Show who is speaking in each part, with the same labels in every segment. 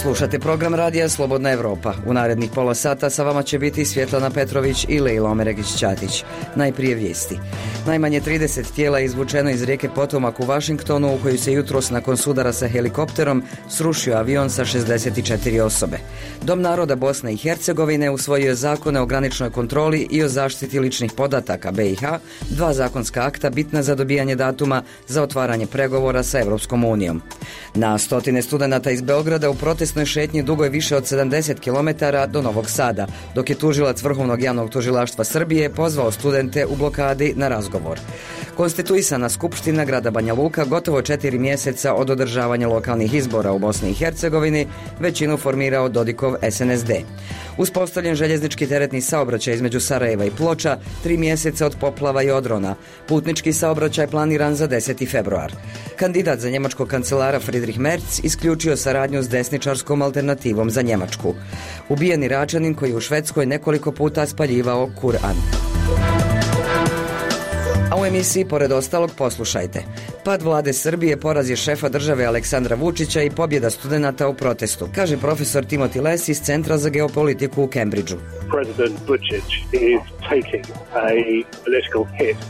Speaker 1: Slušate program radija Slobodna Evropa. U narednih pola sata sa vama će biti Svjetlana Petrović i Lejla Omeregić-Ćatić. Najprije vijesti. Najmanje 30 tijela je izvučeno iz rijeke Potomak u Vašingtonu, u koju se jutros nakon sudara sa helikopterom srušio avion sa 64 osobe. Dom naroda Bosne i Hercegovine usvojio je zakone o graničnoj kontroli i o zaštiti ličnih podataka BiH, dva zakonska akta bitna za dobijanje datuma za otvaranje pregovora sa Evropskom unijom. Na stotine studenata iz Beograda u protestnoj šetnji dugoj više od 70 km do Novog Sada, dok je tužilac Vrhovnog javnog tužilaštva Srbije pozvao studente u blokadi na razgovor. Konstituisana Skupština grada Banja Luka gotovo 4 mjeseca od održavanja lokalnih izbora u Bosni i Hercegovini većinu formirao Dodikov SNSD. Uspostavljen željeznički teretni saobraćaj između Sarajeva i Ploča 3 mjeseca od poplava i odrona. Putnički saobraćaj planiran za 10. februar. Kandidat za njemačkog kancelara Friedrich Merz isključio saradnju s desničarskom alternativom za Njemačku. Ubijen Iračanin koji je u Švedskoj nekoliko puta spaljivao Kur'an. A u emisiji pored ostalog poslušajte. Pad vlade Srbije, poraz je šefa države Aleksandra Vučića i pobjeda studenata u protestu, kaže profesor Timothy Les iz Centra za geopolitiku u Cambridgeu.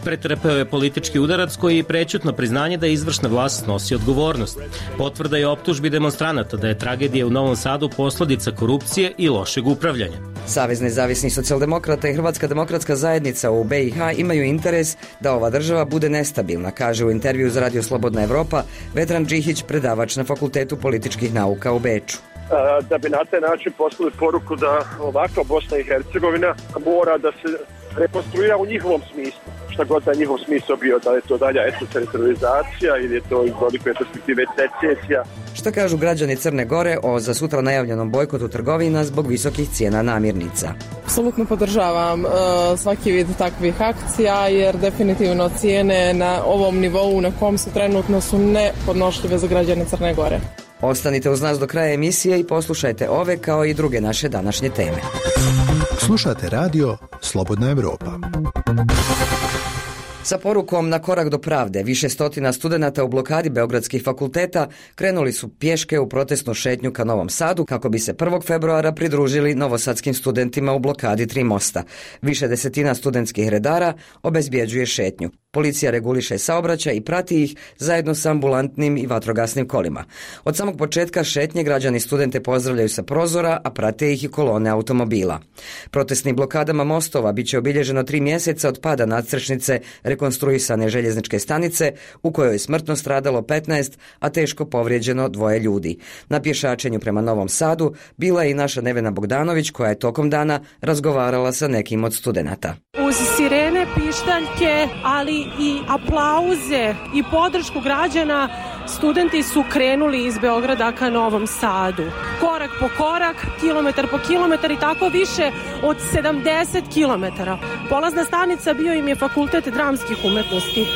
Speaker 2: Pretrpeo je politički udarac koji je prećutno priznanje da izvršna vlast snosi odgovornost. Potvrda je optužbi demonstranata da je tragedija u Novom Sadu posljedica korupcije i lošeg upravljanja.
Speaker 1: Savez nezavisnih socijaldemokrata i Hrvatska demokratska zajednica u BiH imaju interes da ova država bude nestabilna, kaže u intervju za Radio Slobodna Evropa Vedran Džihić, predavač na Fakultetu političkih nauka u Beču.
Speaker 3: Da bi na taj način poslali poruku da ovakva Bosna i Hercegovina mora da se rekonstruira u njihovom smislu. Šta god da je njihov smisao bio, da je to dalja etnocentralizacija ili je to iz velike perspektive secesija.
Speaker 1: Šta kažu građani Crne Gore o za sutra najavljenom bojkotu trgovina zbog visokih cijena namirnica?
Speaker 4: Apsolutno podržavam svaki vid takvih akcija jer definitivno cijene na ovom nivou na kom su trenutno su nepodnošljive za građane Crne Gore.
Speaker 1: Ostanite uz nas do kraja emisije i poslušajte ove kao i druge naše današnje teme.
Speaker 5: Slušate radio Slobodna Evropa.
Speaker 1: Sa porukom na korak do pravde, više stotina studenata u blokadi beogradskih fakulteta krenuli su pješke u protestnu šetnju ka Novom Sadu kako bi se 1. februara pridružili novosadskim studentima u blokadi 3 mosta. Više desetina studentskih redara obezbjeđuje šetnju. Policija reguliše saobraćaj i prati ih zajedno sa ambulantnim i vatrogasnim kolima. Od samog početka šetnje građani studente pozdravljaju sa prozora, a prate ih i kolone automobila. Protestnim blokadama mostova biće obilježeno 3 mjeseca od pada nadstrešnice rekonstruisane željezničke stanice u kojoj je smrtno stradalo 15, a teško povrijeđeno 2 ljudi. Na pješačenju prema Novom Sadu bila je i naša Nevena Bogdanović koja je tokom dana razgovarala sa nekim od studenata.
Speaker 6: Uz sirene, pištaljke, ali i aplauze i podršku građana, studenti su krenuli iz Beograda ka Novom Sadu. Korak po korak, kilometar po kilometar i tako više od 70 kilometara. Polazna stanica bio im je Fakultet dramskih umetnosti.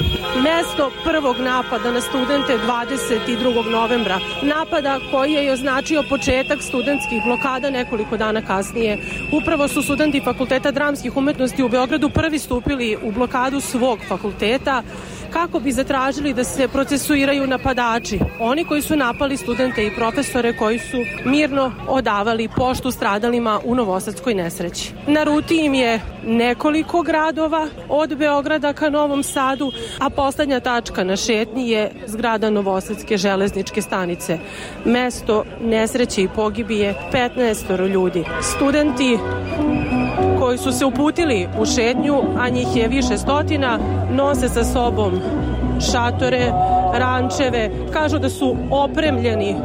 Speaker 6: Mesto prvog napada na studente 22. novembra. Napada koji je označio početak studentskih blokada nekoliko dana kasnije. Upravo su studenti Fakulteta dramskih umetnosti u Beogradu prvi stupili u blokadu svog fakulteta kako bi zatražili da se procesuiraju napadači, oni koji su napali studente i profesore koji su mirno odavali poštu stradalima u novosadskoj nesreći. Na ruti im je nekoliko gradova od Beograda ka Novom Sadu, a poslednja tačka na šetnji je zgrada Novosadske železničke stanice. Mesto nesreće i pogibije 15 ljudi. Studenti koji su se uputili u šetnju, a njih je više stotina, nose sa sobom šatore, rančeve, kažu da su opremljeni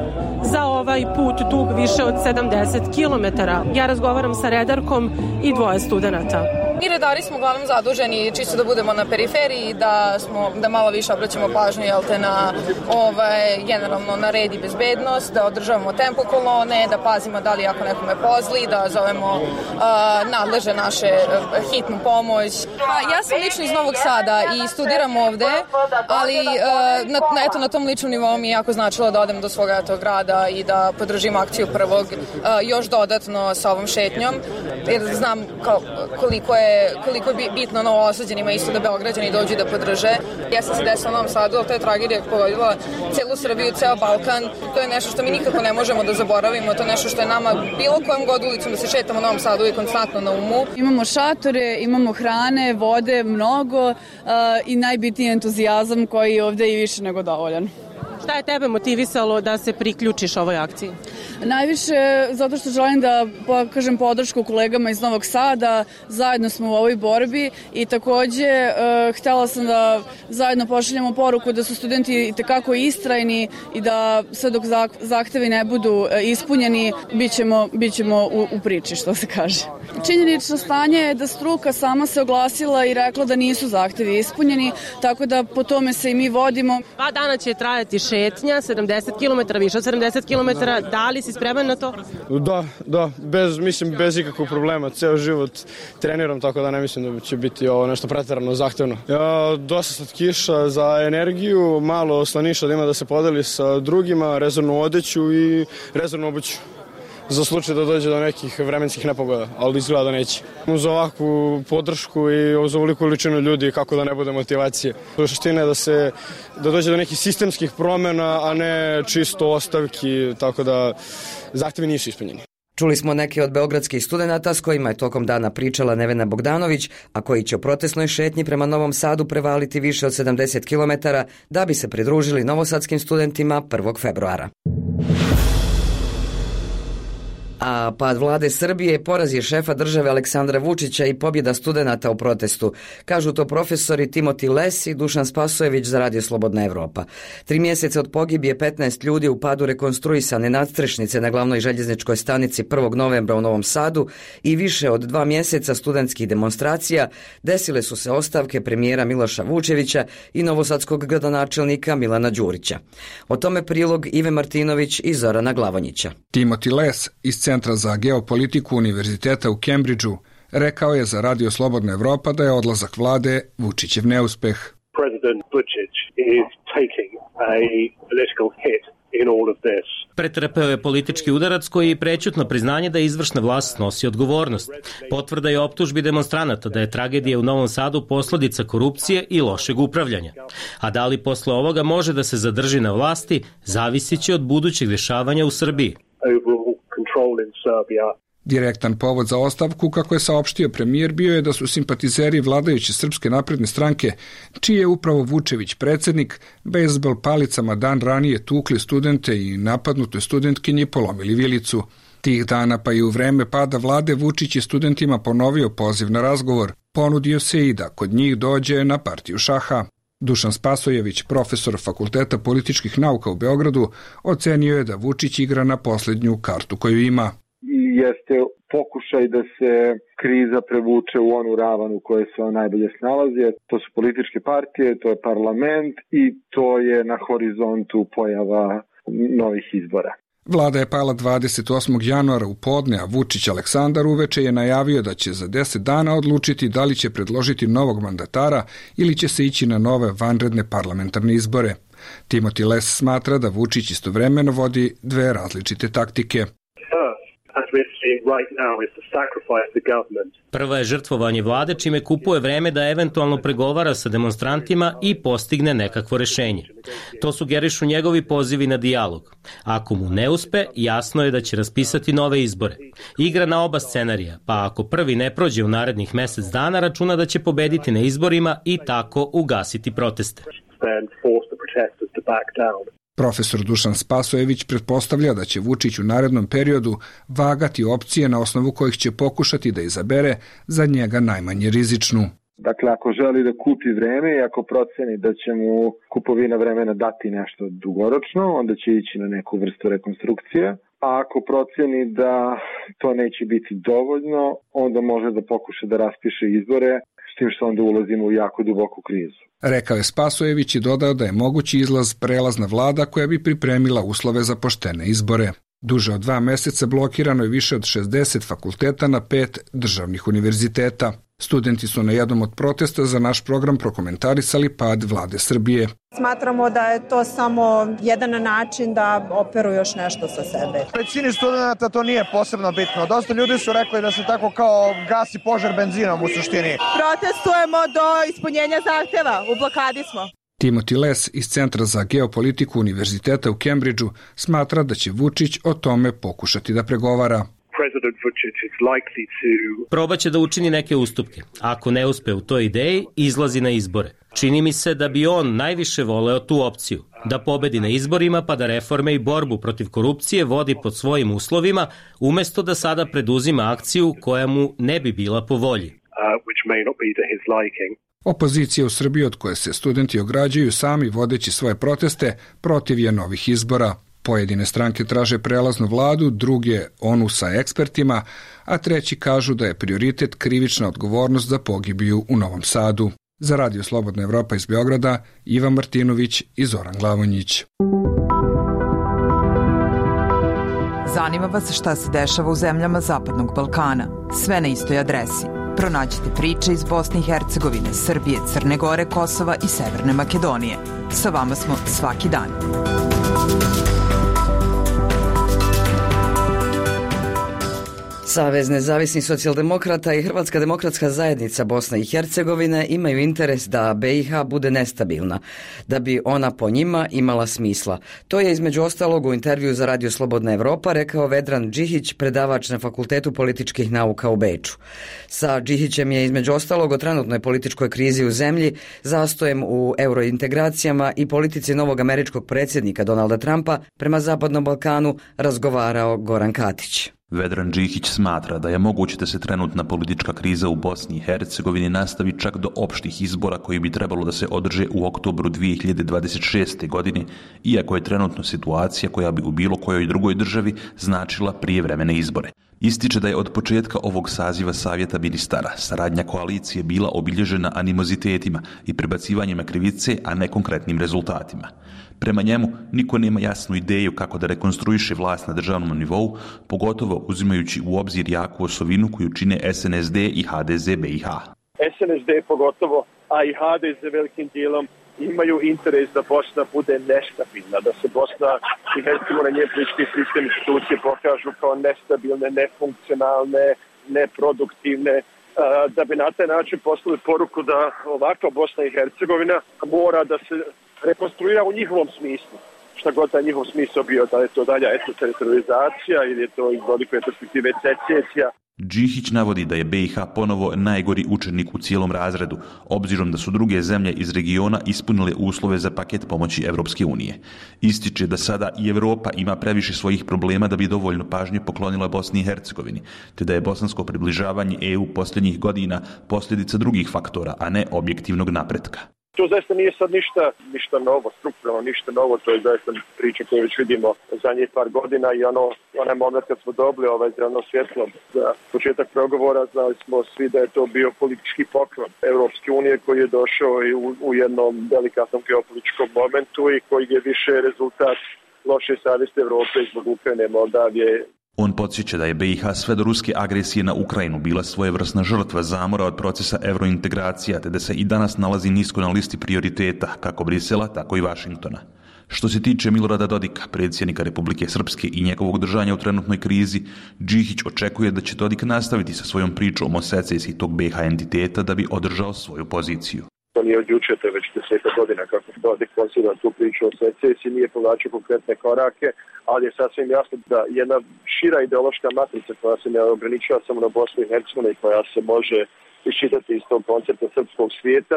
Speaker 6: za ovaj put dug više od 70 kilometara. Ja razgovaram sa redarkom i 2 studenata.
Speaker 7: Mi redari smo uglavnom zaduženi čisto da budemo na periferiji, da malo više obraćamo pažnju na generalno na red i bezbednost, da održavamo tempo kolone, da pazimo da li ako nekome pozli, da zovemo nadleže naše hitnu pomoć. Ja sam lično iz Novog Sada i studiram ovde, ali na tom ličnom nivou mi je jako značilo da odem do svoga grada i da podržim akciju prvog još dodatno sa ovom šetnjom. jer znam koliko je bitno Novosađanima isto da Beograđani dođu da podrže. Jeste se desila u Novom Sadu, ali to je tragedija koja pogodila celu Srbiju, ceo Balkan. To je nešto što mi nikako ne možemo da zaboravimo, to je nešto što je nama bilo kojom god ulicom da se šetamo u Novom Sadu i konstantno na umu.
Speaker 8: Imamo šatore, imamo hrane, vode, mnogo i najbitniji entuzijazam koji je ovde i više nego dovoljan.
Speaker 6: Šta je tebe motivisalo da se priključiš ovoj akciji?
Speaker 8: Najviše zato što želim da pokažem podršku kolegama iz Novog Sada, zajedno smo u ovoj borbi i takođe htela sam da zajedno pošaljemo poruku da su studenti itekako istrajni i da sve dok zahtevi ne budu ispunjeni, bit ćemo u priči, što se kaže. Činjenično stanje je da struka sama se oglasila i rekla da nisu zahtevi ispunjeni, tako da po tome se i mi vodimo.
Speaker 6: 2 dana će trajati šetnja, 70 km, više od 70 km, da li si spreman na to?
Speaker 9: Da, bez ikakvog problema, ceo život treniram, tako da ne mislim da će biti ovo nešto preterano zahtevno. Dosta sad kiša za energiju, malo slaniša da ima da se podeli sa drugima, rezervnu odeću i rezervnu obuću za slučaj da dođe do nekih vremenskih nepogoda, ali izgleda da neće. Uz ovakvu podršku i uz ovoliku količinu ljudi, kako da ne bude motivacije. Suština je da dođe do nekih sistemskih promena, a ne čisto ostavki, tako da zahtevi nisu ispunjeni.
Speaker 1: Čuli smo neke od beogradskih studenata s kojima je tokom dana pričala Nevena Bogdanović, a koji će u protestnoj šetnji prema Novom Sadu prevaliti više od 70 km da bi se pridružili novosadskim studentima 1. februara. A pad vlade Srbije, poraz je šefa države Aleksandra Vučića i pobjeda studenata u protestu. Kažu to profesori Timoti Les i Dušan Spasojević za Radio Slobodna Evropa. 3 mjeseca od pogibije 15 ljudi u padu rekonstruisane nadstrešnice na glavnoj željezničkoj stanici 1. novembra u Novom Sadu i više od 2 mjeseca studentskih demonstracija desile su se ostavke premijera Miloša Vučevića i novosadskog gradonačelnika Milana Đurića. O tome prilog Ive Martinović i Zorana Glavonjića.
Speaker 10: Timoti Les iz Centra za geopolitiku Univerziteta u Cambridgeu rekao je za Radio Slobodna Evropa da je odlazak vlade Vučićev neuspeh.
Speaker 3: President Vučić is taking a political hit in all of this.
Speaker 2: Pretrpeo je politički udarac koji je prećutno priznanje da izvršna vlast snosi odgovornost. Potvrda je optužbi demonstranata da je tragedija u Novom Sadu posledica korupcije i lošeg upravljanja. A da li posle ovoga može da se zadrži na vlasti, zavisit će od budućeg dešavanja u Srbiji.
Speaker 10: Direktan povod za ostavku, kako je saopštio premijer, bio je da su simpatizeri vladajuće Srpske napredne stranke, čiji je upravo Vučević predsjednik, bejzbol palicama dan ranije tukli studente i napadnutoj studentkinji polomili vilicu. Tih dana pa i u vreme pada vlade Vučić je studentima ponovio poziv na razgovor. Ponudio se i da kod njih dođe na partiju šaha. Dušan Spasojević, profesor Fakulteta političkih nauka u Beogradu, ocenio je da Vučić igra na posljednju kartu koju ima.
Speaker 11: Jeste pokušaj da se kriza prevuče u onu ravan u kojoj se on najbolje snalazi. To su političke partije, to je parlament i to je na horizontu pojava novih izbora.
Speaker 10: Vlada je pala 28. januara u podne, a Vučić Aleksandar uveče je najavio da će za 10 dana odlučiti da li će predložiti novog mandatara ili će se ići na nove vanredne parlamentarne izbore. Timoti Les smatra da Vučić istovremeno vodi 2 različite taktike.
Speaker 2: Prva je žrtvovanje vlade, čime kupuje vreme da eventualno pregovara sa demonstrantima i postigne nekakvo rešenje. To sugerišu njegovi pozivi na dijalog. Ako mu ne uspe, jasno je da će raspisati nove izbore. Igra na oba scenarija, pa ako prvi ne prođe u narednih mesec dana, računa da će pobediti na izborima i tako ugasiti proteste.
Speaker 10: Profesor Dušan Spasojević pretpostavlja da će Vučić u narednom periodu vagati opcije na osnovu kojih će pokušati da izabere za njega najmanje rizičnu.
Speaker 11: Dakle, ako želi da kupi vreme i ako proceni da će mu kupovina vremena dati nešto dugoročno, onda će ići na neku vrstu rekonstrukcije. A ako proceni da to neće biti dovoljno, onda može da pokuša da raspiše izbore, s tim što onda ulazimo u jako duboku krizu.
Speaker 10: Rekao je Spasojević i dodao da je mogući izlaz prelazna vlada koja bi pripremila uslove za poštene izbore. Duže od 2 meseca blokirano je više od 60 fakulteta na 5 državnih univerziteta. Studenti su na jednom od protesta za naš program prokomentarisali pad vlade Srbije.
Speaker 12: Smatramo da je to samo jedan način da operu još nešto sa sebe.
Speaker 13: Većini studenta to nije posebno bitno. Dosta ljudi su rekli da se tako kao gasi požar benzinom u suštini.
Speaker 12: Protestujemo do ispunjenja zahteva. U blokadi smo.
Speaker 10: Timothy Les iz Centra za geopolitiku Univerziteta u Cambridgeu smatra da će Vučić o tome pokušati da pregovara.
Speaker 2: Probaće da učini neke ustupke. Ako ne uspe u toj ideji, izlazi na izbore. Čini mi se da bi on najviše voleo tu opciju, da pobedi na izborima pa da reforme i borbu protiv korupcije vodi pod svojim uslovima, umesto da sada preduzima akciju koja mu ne bi bila po volji.
Speaker 10: Opozicija u Srbiji, od koje se studenti ograđuju sami vodeći svoje proteste, protiv je novih izbora. Pojedine stranke traže prelaznu vladu, druge onu sa ekspertima, a treći kažu da je prioritet krivična odgovornost za pogibiju u Novom Sadu. Za Radio Slobodna Evropa iz Beograda, Ivan Martinović i Zoran Glavonjić.
Speaker 14: Zanima vas šta se dešava u zemljama Zapadnog Balkana? Sve na istoj adresi. Pronađite priče iz Bosne i Hercegovine, Srbije, Crne Gore, Kosova i Severne Makedonije. Sa vama smo svaki dan.
Speaker 1: Savez nezavisnih socijaldemokrata i Hrvatska demokratska zajednica Bosne i Hercegovine imaju interes da BiH bude nestabilna, da bi ona po njima imala smisla. To je između ostalog u intervju za Radio Slobodna Evropa rekao Vedran Džihić, predavač na Fakultetu političkih nauka u Beču. Sa Džihićem je između ostalog o trenutnoj političkoj krizi u zemlji, zastojem u eurointegracijama i politici novog američkog predsjednika Donalda Trumpa prema Zapadnom Balkanu razgovarao Goran Katić.
Speaker 15: Vedran Džihić smatra da je moguće da se trenutna politička kriza u Bosni i Hercegovini nastavi čak do opštih izbora koji bi trebalo da se održe u oktobru 2026. godine, iako je trenutno situacija koja bi u bilo kojoj drugoj državi značila prijevremene izbore. Ističe da je od početka ovog saziva Savjeta ministara saradnja koalicije bila obilježena animozitetima i prebacivanjima krivice, a ne konkretnim rezultatima. Prema njemu, niko nema jasnu ideju kako da rekonstruiše vlast na državnom nivou, pogotovo uzimajući u obzir jaku osovinu koju čine SNSD i HDZ BiH.
Speaker 3: SNSD pogotovo, a i HDZ velikim dijelom imaju interes da Bosna bude nestabilna, da se Bosna i Hercegovina, njene političke i sistem institucije pokažu kao nestabilne, nefunkcionalne, neproduktivne, da bi na taj način poslali poruku da ovakva Bosna i Hercegovina mora da se rekonstruira u njihovom smislu. Šta god da je njihov smisao bio, da je to dalja etnoteritorizacija ili je to iz velike perspektive secesija.
Speaker 15: Džihić navodi da je BiH ponovo najgori učenik u cijelom razredu, obzirom da su druge zemlje iz regiona ispunile uslove za paket pomoći Evropske unije. Ističe da sada i Evropa ima previše svojih problema da bi dovoljno pažnje poklonila Bosni i Hercegovini, te da je bosansko približavanje EU posljednjih godina posljedica drugih faktora, a ne objektivnog napretka.
Speaker 3: To zaista nije sad ništa novo, strukturalno ništa novo, to je zaista priča koju već vidimo zadnjih par godina i onaj moment kad smo dobili zeleno svjetlo za početak pregovora, znali smo svi da je to bio politički poklon Evropske unije koji je došao i u jednom delikatnom geopolitičkom momentu i koji je više rezultat loše savjesti Evrope zbog Ukrajine, Moldavije.
Speaker 15: On podsjeća da je BiH sve do ruske agresije na Ukrajinu bila svojevrsna žrtva zamora od procesa evrointegracija, te da se i danas nalazi nisko na listi prioriteta, kako Brisela, tako i Vašingtona. Što se tiče Milorada Dodika, predsjednika Republike Srpske i njegovog držanja u trenutnoj krizi, Džihić očekuje da će Dodik nastaviti sa svojom pričom o secesiji tog BiH entiteta da bi održao svoju poziciju.
Speaker 3: To nije od jučer, to je već 10 godina kako Dodik konsidera tu priču o secesiji, nije povlačio konkretne korake, ali je sasvim jasno da jedna šira ideološka matrica koja se ne ograničava samo na Bosnu i Hercegovinu i koja se može iščitati iz tog koncepta srpskog svijeta,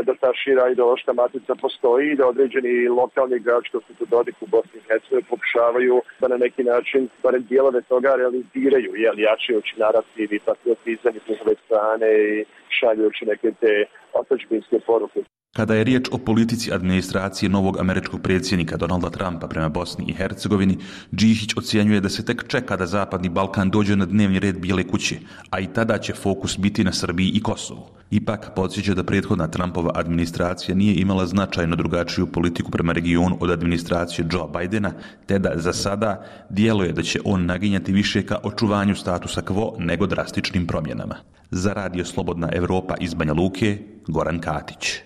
Speaker 3: da ta šira ideološka matrica postoji i da određeni lokalni igrači kao su Dodik u Bosni i Hercegovini pokušavaju da na neki način barem dijelove toga realiziraju, jačajući narativ i patriotizam iz njihove strane i šaljujući neke te otadžbinske poruke.
Speaker 15: Kada je riječ o politici administracije novog američkog predsjednika Donalda Trumpa prema Bosni i Hercegovini, Đihić ocjenjuje da se tek čeka da Zapadni Balkan dođe na dnevni red Bijele kuće, a i tada će fokus biti na Srbiji i Kosovu. Ipak podsjeća da prethodna Trumpova administracija nije imala značajno drugačiju politiku prema regionu od administracije Joe Bidena, te da za sada djeluje da će on naginjati više ka očuvanju statusa quo nego drastičnim promjenama. Za Radio Slobodna Evropa iz Banja Luke, Goran Katić.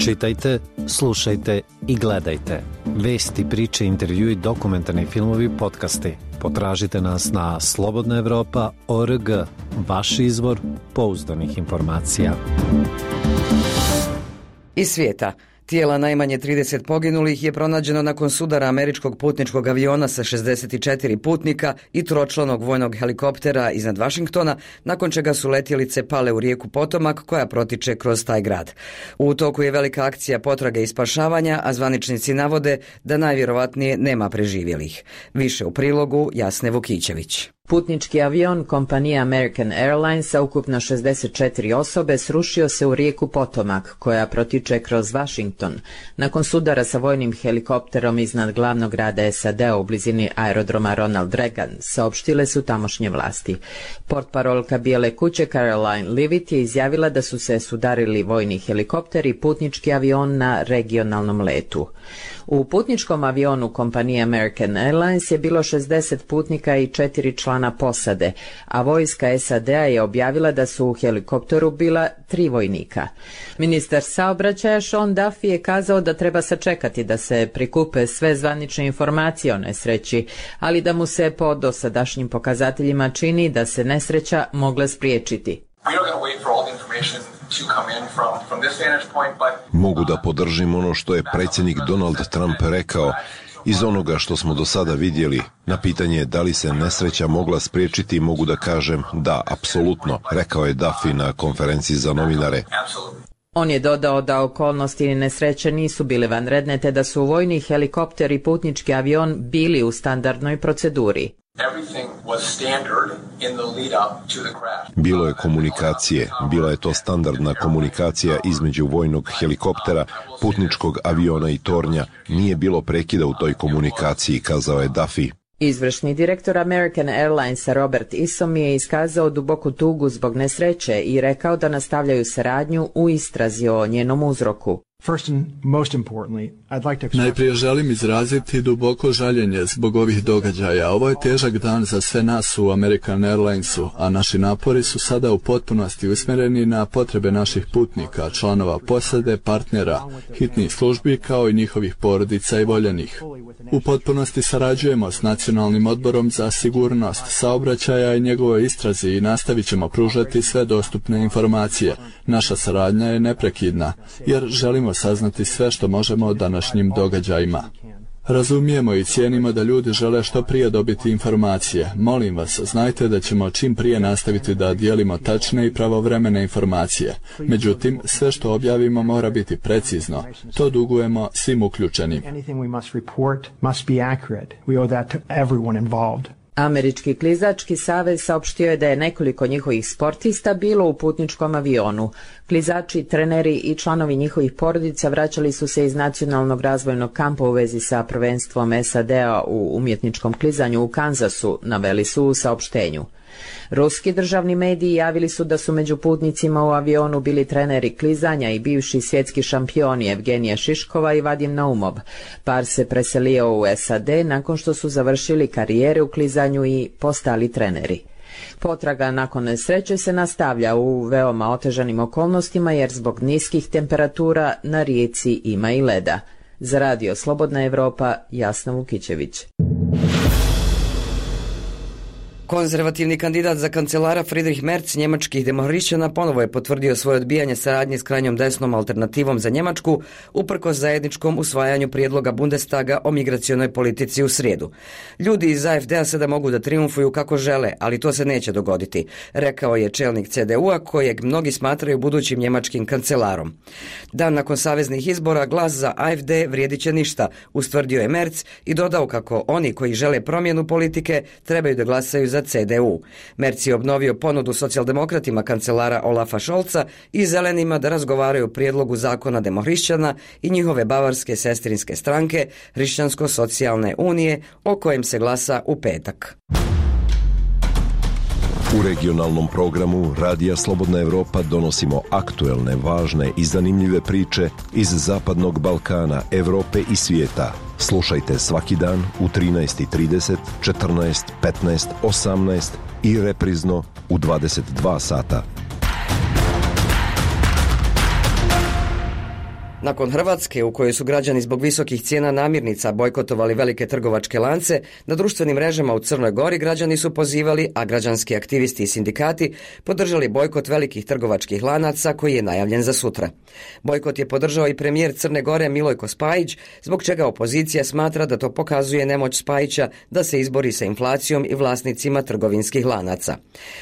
Speaker 16: Čitajte, slušajte i gledajte. Vesti, priče, intervjui, dokumentarni filmovi, podcasti. Potražite nas na slobodnaevropa.org, vaš izvor pouzdanih informacija.
Speaker 1: Iz svijeta. Tijela najmanje 30 poginulih je pronađeno nakon sudara američkog putničkog aviona sa 64 putnika i tročlanog vojnog helikoptera iznad Vašingtona, nakon čega su letjelice pale u rijeku Potomak koja protiče kroz taj grad. U toku je velika akcija potrage i spašavanja, a zvaničnici navode da najvjerovatnije nema preživjelih. Više u prilogu Jasne Vukićević.
Speaker 17: Putnički avion kompanije American Airlines sa ukupno 64 osobe srušio se u rijeku Potomak, koja protiče kroz Washington, nakon sudara sa vojnim helikopterom iznad glavnog grada SAD-a u blizini aerodroma Ronald Reagan, saopštile su tamošnje vlasti. Portparolka Bijele kuće Caroline Leavitt je izjavila da su se sudarili vojni helikopter i putnički avion na regionalnom letu. U putničkom avionu kompanije American Airlines je bilo 60 putnika i 4 člana posade, a vojska SAD-a je objavila da su u helikopteru bila 3 vojnika. Ministar saobraćaja Sean Duffy je kazao da treba sačekati da se prikupe sve zvanične informacije o nesreći, ali da mu se po dosadašnjim pokazateljima čini da se nesreća mogla spriječiti.
Speaker 18: Mogu da podržim ono što je predsjednik Donald Trump rekao. Iz onoga što smo do sada vidjeli, na pitanje da li se nesreća mogla spriječiti, mogu da kažem da, apsolutno, rekao je Duffy na konferenciji za novinare.
Speaker 17: On je dodao da okolnosti nesreće nisu bile vanredne, te da su vojni helikopter i putnički avion bili u standardnoj proceduri.
Speaker 18: Bilo je komunikacije, bila je to standardna komunikacija između vojnog helikoptera, putničkog aviona i tornja. Nije bilo prekida u toj komunikaciji, kazao je Duffy.
Speaker 17: Izvršni direktor American Airlinesa Robert Isom je iskazao duboku tugu zbog nesreće i rekao da nastavljaju saradnju u istrazi o njenom uzroku.
Speaker 19: Najprije želim izraziti duboko žaljenje zbog ovih događaja. Ovo je težak dan za sve nas u American Airlinesu, a naši napori su sada u potpunosti usmjereni na potrebe naših putnika, članova posade, partnera, hitnih službi kao i njihovih porodica i voljenih. U potpunosti sarađujemo s Nacionalnim odborom za sigurnost saobraćaja i njegovoj istrazi i nastavit ćemo pružati sve dostupne informacije. Naša saradnja je neprekidna, jer želimo saznati sve što možemo o današnjim događajima. Razumijemo i cijenimo da ljudi žele što prije dobiti informacije. Molim vas, znajte da ćemo čim prije nastaviti da dijelimo tačne i pravovremene informacije. Međutim, sve što objavimo mora biti precizno. To dugujemo svim uključenim.
Speaker 17: Američki klizački savez saopštio je da je nekoliko njihovih sportista bilo u putničkom avionu. Klizači, treneri i članovi njihovih porodica vraćali su se iz nacionalnog razvojnog kampa u vezi sa prvenstvom SAD-a u umjetničkom klizanju u Kansasu, naveli su u saopštenju. Ruski državni mediji javili su da su među putnicima u avionu bili treneri klizanja i bivši svjetski šampioni Evgenija Šiškova i Vadim Naumov. Par se preselio u SAD nakon što su završili karijere u klizanju i postali treneri. Potraga nakon nesreće se nastavlja u veoma otežanim okolnostima jer zbog niskih temperatura na rijeci ima i leda. Za Radio Slobodna Evropa, Jasna Vukićević.
Speaker 1: Konzervativni kandidat za kancelara Friedrich Merz njemačkih demohrišćana ponovo je potvrdio svoje odbijanje saradnje s krajnjom desnom alternativom za Njemačku uprkos zajedničkom usvajanju prijedloga Bundestaga o migracionoj politici u srijedu. Ljudi iz AfD-a sada mogu da triumfuju kako žele, ali to se neće dogoditi, rekao je čelnik CDU-a kojeg mnogi smatraju budućim njemačkim kancelarom. Dan nakon saveznih izbora glas za AfD vrijedit će ništa, ustvrdio je Merz i dodao kako oni koji žele promjenu politike trebaju da glasaju za lidera CDU. Merz je obnovio ponudu socijaldemokratima kancelara Olafa Scholza i zelenima da razgovaraju o prijedlogu zakona demohrišćana i njihove bavarske sestrinske stranke Hrišćansko-socijalne unije, o kojem se glasa u petak.
Speaker 18: U regionalnom programu Radija Slobodna Evropa donosimo aktuelne, važne i zanimljive priče iz Zapadnog Balkana, Evrope i svijeta. Slušajte svaki dan u 13:30, 14, 15, 18 i reprizno u 22 sata.
Speaker 1: Nakon Hrvatske, u kojoj su građani zbog visokih cijena namirnica bojkotovali velike trgovačke lance, na društvenim mrežama u Crnoj Gori građani su pozivali, a građanski aktivisti i sindikati podržali bojkot velikih trgovačkih lanaca koji je najavljen za sutra. Bojkot je podržao i premijer Crne Gore Milojko Spajić, zbog čega opozicija smatra da to pokazuje nemoć Spajića da se izbori sa inflacijom i vlasnicima trgovinskih lanaca.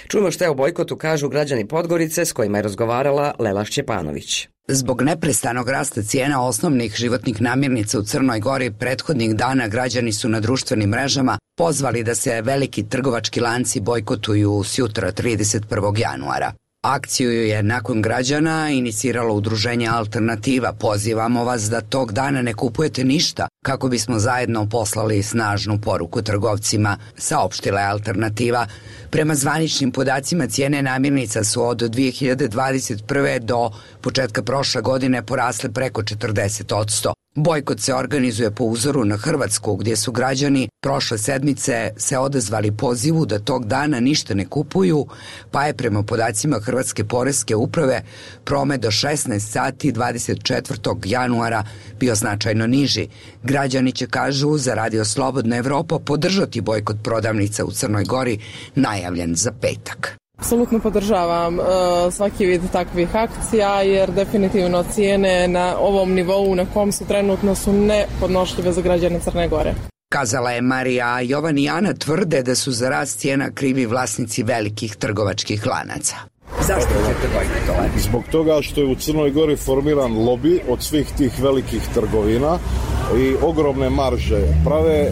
Speaker 1: Čujmo što je o bojkotu kažu građani Podgorice s kojima je razgovarala Lela Šćepanović.
Speaker 20: Zbog neprestanog rasta cijena osnovnih životnih namirnica u Crnoj Gori prethodnih dana građani su na društvenim mrežama pozvali da se veliki trgovački lanci bojkotuju sjutra 31. januara. Akciju je nakon građana iniciralo udruženje Alternativa. Pozivamo vas da tog dana ne kupujete ništa kako bismo zajedno poslali snažnu poruku trgovcima, saopštila je Alternativa. Prema zvaničnim podacima cijene namirnica su od 2021. do početka prošle godine porasle preko 40%. Bojkot se organizuje po uzoru na Hrvatsku, gdje su građani prošle sedmice se odazvali pozivu da tog dana ništa ne kupuju, pa je prema podacima Hrvatske poreske uprave promet do 16 sati 24. januara bio značajno niži. Građani će, kažu, za Radio Slobodna Evropa podržati bojkot prodavnica u Crnoj Gori, najavljen za petak.
Speaker 4: Apsolutno podržavam svaki vid takvih akcija, jer definitivno cijene na ovom nivou na kom su trenutno su nepodnošljive za građane Crne Gore.
Speaker 20: Kazala je Marija. Jovan i Ana tvrde da su za rast cijena krivi vlasnici velikih trgovačkih lanaca. Zašto ćete bojkotovati?
Speaker 21: Zbog toga što je u Crnoj Gori formiran lobi od svih tih velikih trgovina i ogromne marže prave.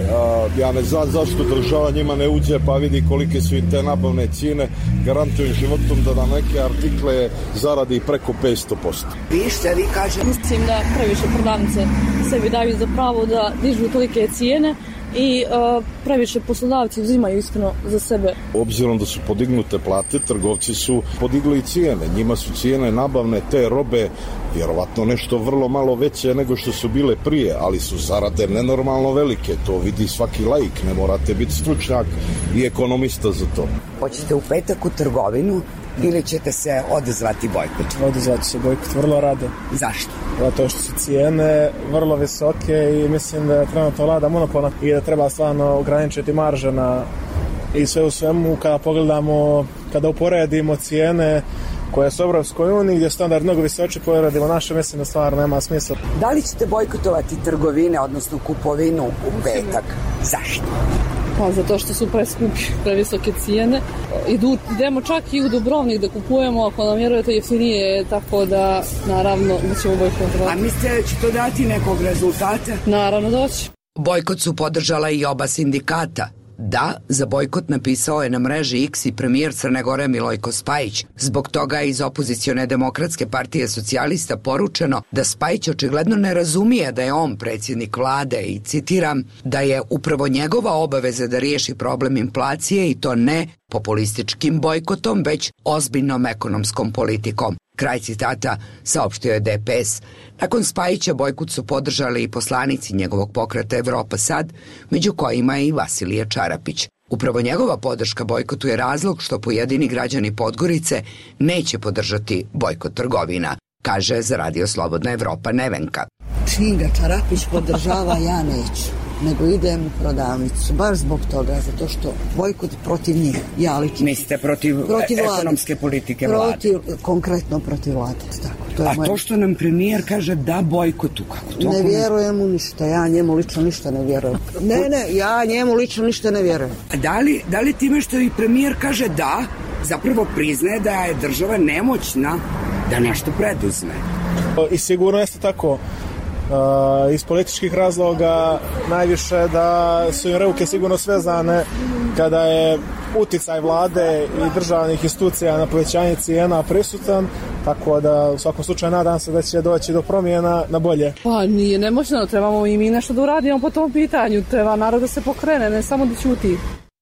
Speaker 21: Ja ne znam zašto država njima ne uđe pa vidi kolike su im te nabavne cijene, garantujem životom da na neke artikle zaradi preko 500%.
Speaker 20: Vi kažete?
Speaker 22: Mislim da previše prodavnice sebi daju za pravo da dižu tolike cijene i previše poslodavci uzimaju iskreno za sebe.
Speaker 21: Obzirom da su podignute plate, trgovci su podigli cijene. Njima su cijene nabavne te robe vjerovatno nešto vrlo malo veće nego što su bile prije, ali su zarade nenormalno velike. To vidi svaki laik, ne morate biti stručnjak i ekonomista za to.
Speaker 20: Hoćete u petak u trgovinu ili ćete se odazvati bojkot?
Speaker 23: Odazvati se bojkot vrlo rado.
Speaker 20: Zašto?
Speaker 23: Zato što su cijene vrlo visoke i mislim da je trenutno vlada monopolna i da treba stvarno ograničiti marže i sve u svemu kada pogledamo, kada uporedimo cijene koje su u Evropskoj uniji gdje je standard mnogo visoči, poredimo naše, mislim da stvarno nema smisla.
Speaker 20: Da li ćete bojkotovati trgovine, odnosno kupovinu u petak? Zašto?
Speaker 22: Pa zato što su preskupi, previsoke cijene. Idemo čak i u Dubrovnik da kupujemo, ako nam vjerujete jeftinije, tako da naravno da ćemo bojkotovati.
Speaker 20: A mislite da će to dati nekog rezultata?
Speaker 22: Naravno da će.
Speaker 20: Bojkot su podržala i oba sindikata. Da, za bojkot napisao je na mreži X i premijer Crne Gore Milojko Spajić. Zbog toga je iz opozicione Demokratske partije socijalista poručeno da Spajić očigledno ne razumije da je on predsjednik vlade i, citiram, da je upravo njegova obaveza da riješi problem inflacije i to ne populističkim bojkotom, već ozbiljnom ekonomskom politikom. Kraj citata, saopštio je DPS. Nakon Spajića bojkot su podržali i poslanici njegovog pokreta Evropa sad, među kojima je i Vasilije Čarapić. Upravo njegova podrška bojkotu je razlog što pojedini građani Podgorice neće podržati bojkot trgovina, kaže za Radio Slobodna Evropa Nevenka.
Speaker 24: Čim ga Čarapić podržava, ja neću, nego idem u prodavnicu, baš zbog toga, zato što bojkot protiv njih, ja lično.
Speaker 20: Mislite protiv ekonomske politike vlade?
Speaker 24: Konkretno protiv vlade, tako.
Speaker 20: To što nam premijer kaže da bojkotu, kako to?
Speaker 24: Ne vjerujem mu ništa, ja njemu lično ništa ne vjerujem. Ja njemu lično ništa ne vjerujem.
Speaker 20: A da li time što i premijer kaže da, zapravo priznaje da je država nemoćna da nešto preduzme?
Speaker 23: I sigurno jeste tako. iz političkih razloga, najviše da su im ruke sigurno svezane kada je uticaj vlade i državnih institucija na povećanje cijena prisutan, tako da u svakom slučaju nadam se da će doći do promjena na bolje.
Speaker 22: Pa nije nemoćno, trebamo i mi nešto da uradimo po tom pitanju, treba narod da se pokrene, ne samo da ćuti.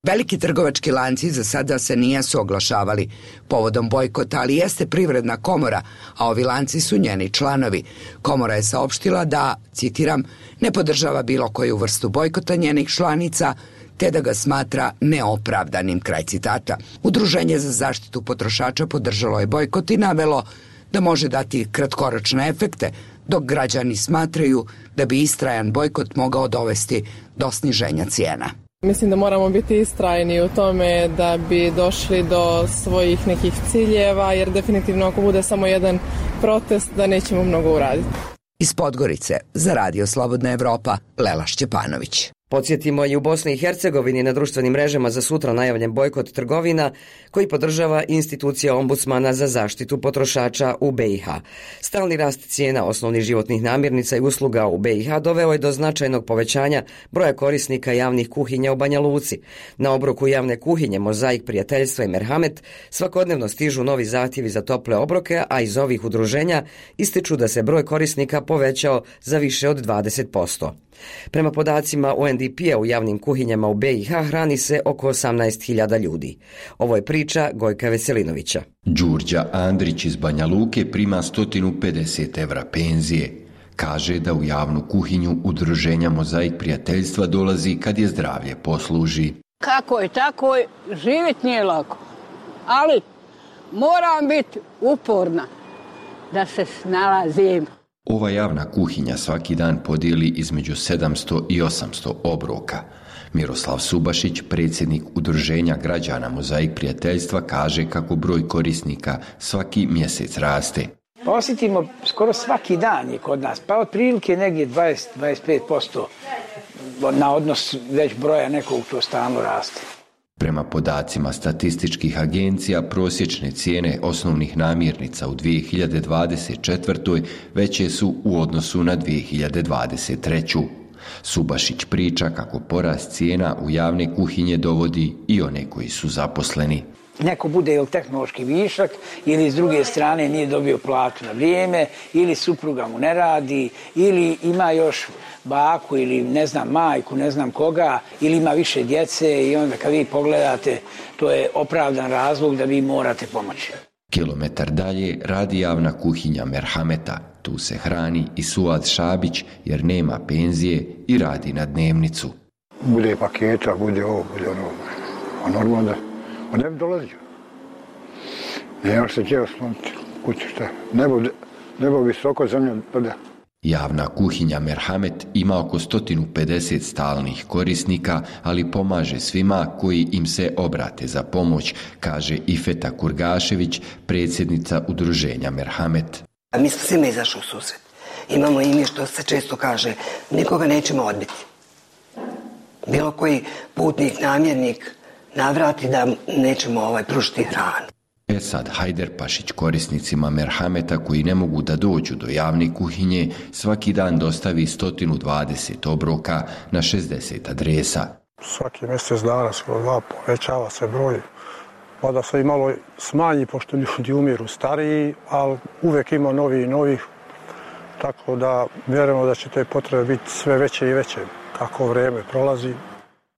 Speaker 20: Veliki trgovački lanci za sada se nisu oglašavali povodom bojkota, ali jeste Privredna komora, a ovi lanci su njeni članovi. Komora je saopštila da, citiram, ne podržava bilo koju vrstu bojkota njenih članica, te da ga smatra neopravdanim, kraj citata. Udruženje za zaštitu potrošača podržalo je bojkot i navelo da može dati kratkoročne efekte, dok građani smatraju da bi istrajan bojkot mogao dovesti do sniženja cijena.
Speaker 4: Mislim da moramo biti istrajni u tome da bi došli do svojih nekih ciljeva, jer definitivno ako bude samo jedan protest da nećemo mnogo uraditi.
Speaker 20: Iz Podgorice za Radio Slobodna Evropa, Lela Šćepanović.
Speaker 1: Podsjetimo, i u Bosni i Hercegovini na društvenim mrežama za sutra najavljen bojkot trgovina koji podržava institucija ombudsmana za zaštitu potrošača u BiH. Stalni rast cijena osnovnih životnih namirnica i usluga u BiH doveo je do značajnog povećanja broja korisnika javnih kuhinja u Banja Luci. Na obroku javne kuhinje Mozaik prijateljstva i Merhamet svakodnevno stižu novi zahtjevi za tople obroke, a iz ovih udruženja ističu da se broj korisnika povećao za više od 20%. Prema podacima UNDP-a u javnim kuhinjama u BiH hrani se oko 18.000 ljudi. Ovo je priča Gojka Veselinovića.
Speaker 5: Đurđa Andrić iz Banja Luke prima 150 evra penzije. Kaže da u javnu kuhinju udruženja Mozaik prijateljstva dolazi kad je zdravlje posluži.
Speaker 6: Kako je tako, živjeti nije lako, ali moram biti uporna da se snalazim.
Speaker 5: Ova javna kuhinja svaki dan podijeli između 700 i 800 obroka. Miroslav Subašić, predsjednik udruženja građana Mozaik prijateljstva, kaže kako broj korisnika svaki mjesec raste.
Speaker 7: Pa osjetimo skoro svaki dan je kod nas, pa otprilike negdje 20-25% na odnos već broja nekog to stalno raste.
Speaker 5: Prema podacima statističkih agencija, prosječne cijene osnovnih namirnica u 2024. veće su u odnosu na 2023. Subašić priča kako porast cijena u javne kuhinje dovodi i one koji su zaposleni.
Speaker 7: Neko bude ili tehnološki višak, ili s druge strane nije dobio platu na vrijeme, ili supruga mu ne radi, ili ima još baku ili ne znam majku, ne znam koga, ili ima više djece i onda kad vi pogledate, to je opravdan razlog da vi morate pomoći.
Speaker 5: Kilometar dalje radi javna kuhinja Merhameta. Tu se hrani i Suad Šabić jer nema penzije i radi na dnevnicu.
Speaker 8: Bude paketa, bude ovo, bude ono. A normalno da ne bi dolazio. Nemaš se gdje osloniti kući, šta? Nebo visoko, zemlja prda.
Speaker 5: Javna kuhinja Merhamet ima oko 150 stalnih korisnika, ali pomaže svima koji im se obrate za pomoć, kaže Ifeta Kurgašević, predsjednica udruženja Merhamet.
Speaker 25: Mi smo svima izašli u susret. Imamo i mi, što se često kaže, nikoga nećemo odbiti. Bilo koji putnik, namjernik navrati da nećemo pružiti hranu.
Speaker 5: Esad Hajderpašić korisnicima Merhameta koji ne mogu da dođu do javne kuhinje svaki dan dostavi 120 obroka na 60 adresa.
Speaker 8: Svaki mjesec dana skoro 2 povećava se broj, pa da se i malo smanji pošto ljudi umiru stariji, ali uvijek ima novi i novih, tako da vjerujemo da će te potrebe biti sve veće i veće kako vrijeme prolazi.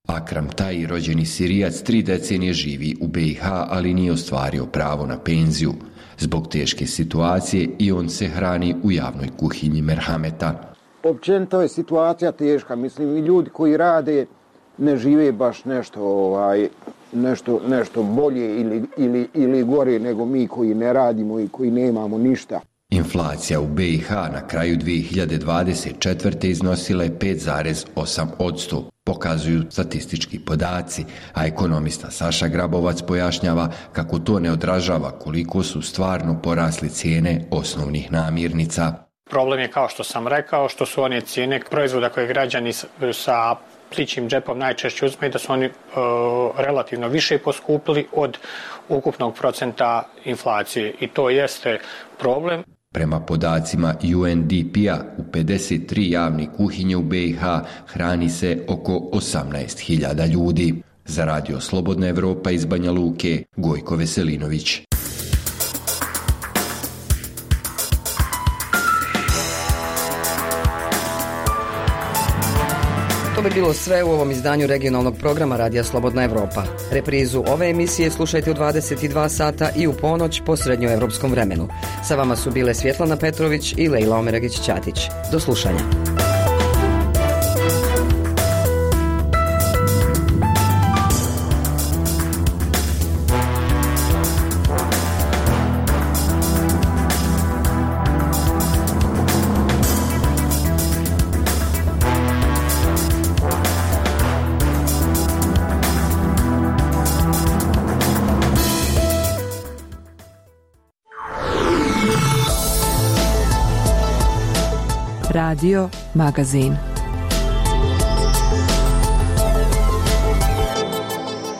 Speaker 5: Akram Taji, rođeni Sirijac, 3 decenije živi u BiH, ali nije ostvario pravo na penziju. Zbog teške situacije i on se hrani u javnoj kuhinji Merhameta.
Speaker 26: Općenito je situacija teška, mislim i ljudi koji rade ne žive baš nešto bolje ili gore nego mi koji ne radimo i koji nemamo ništa.
Speaker 5: Inflacija u BiH na kraju 2024. iznosila je 5,8%, pokazuju statistički podaci, a ekonomista Saša Grabovac pojašnjava kako to ne odražava koliko su stvarno porasli cijene osnovnih namirnica.
Speaker 27: Problem je, kao što sam rekao, što su one cijene proizvoda koje građani sa plićim džepom najčešće uzme, da su oni relativno više poskupili od ukupnog procenta inflacije i to jeste problem.
Speaker 5: Prema podacima UNDP-a, u 53 javne kuhinje u BiH hrani se oko 18.000 ljudi. Za Radio Slobodna Evropa iz Banja Luke, Gojko Veselinović.
Speaker 1: To bi bilo sve u ovom izdanju regionalnog programa Radija Slobodna Evropa. Reprizu ove emisije slušajte u 22 sata i u ponoć po srednjoevropskom vremenu. Sa vama su bile Svjetlana Petrović i Lejla Omeragić-Ćatić. Do slušanja.
Speaker 2: Radio Magazin.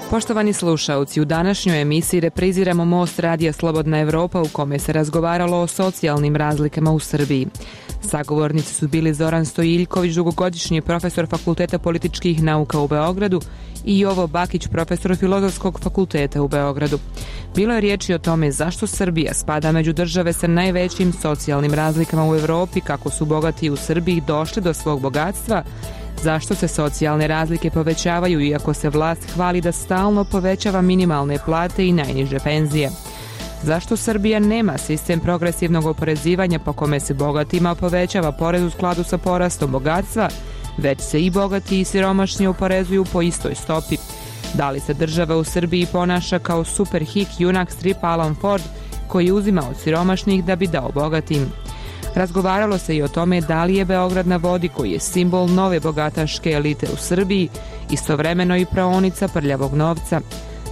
Speaker 2: Poštovani slušaoci, u današnjoj emisiji repriziramo Most Radija Slobodna Evropa u kome se razgovaralo o socijalnim razlikama u Srbiji. Sagovornici su bili Zoran Stojiljković, dugogodišnji profesor Fakulteta političkih nauka u Beogradu, i Jovo Bakić, profesor Filozofskog fakulteta u Beogradu. Bilo je riječi o tome zašto Srbija spada među države sa najvećim socijalnim razlikama u Evropi, kako su bogati u Srbiji došli do svog bogatstva, zašto se socijalne razlike povećavaju iako se vlast hvali da stalno povećava minimalne plate i najniže penzije. Zašto Srbija nema sistem progresivnog oporezivanja po kome se bogatima povećava porez u skladu sa porastom bogatstva, već se i bogati i siromašni oporezuju po istoj stopi? Da li se država u Srbiji ponaša kao superhik junak stripa Alan Ford koji uzima od siromašnih da bi dao bogatim? Razgovaralo se i o tome da li je Beograd na vodi, koji je simbol nove bogataške elite u Srbiji, istovremeno i praonica prljavog novca.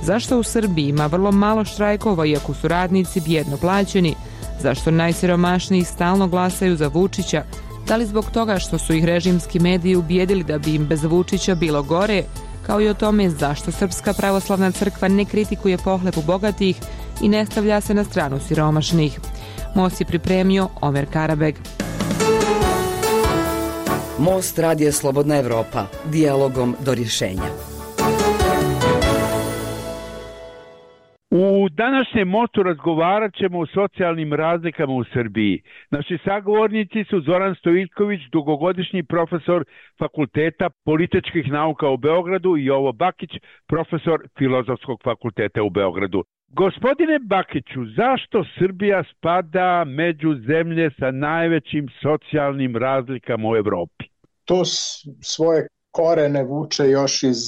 Speaker 2: Zašto u Srbiji ima vrlo malo štrajkova iako su radnici bijedno plaćeni? Zašto najsiromašniji stalno glasaju za Vučića? Da li zbog toga što su ih režimski mediji ubijedili da bi im bez Vučića bilo gore? Kao i o tome zašto Srpska pravoslavna crkva ne kritikuje pohlepu bogatih i ne stavlja se na stranu siromašnih. Most je pripremio Omer Karabeg.
Speaker 1: Most Radija Slobodna Evropa. Dijalogom do rješenja.
Speaker 9: U današnjem mostu razgovarat ćemo o socijalnim razlikama u Srbiji. Naši sagovornici su Zoran Stojiljković, dugogodišnji profesor Fakulteta političkih nauka u Beogradu, i Jovo Bakić, profesor Filozofskog fakulteta u Beogradu. Gospodine Bakiću, zašto Srbija spada među zemlje sa najvećim socijalnim razlikama u Evropi?
Speaker 10: To svoje korene vuče još iz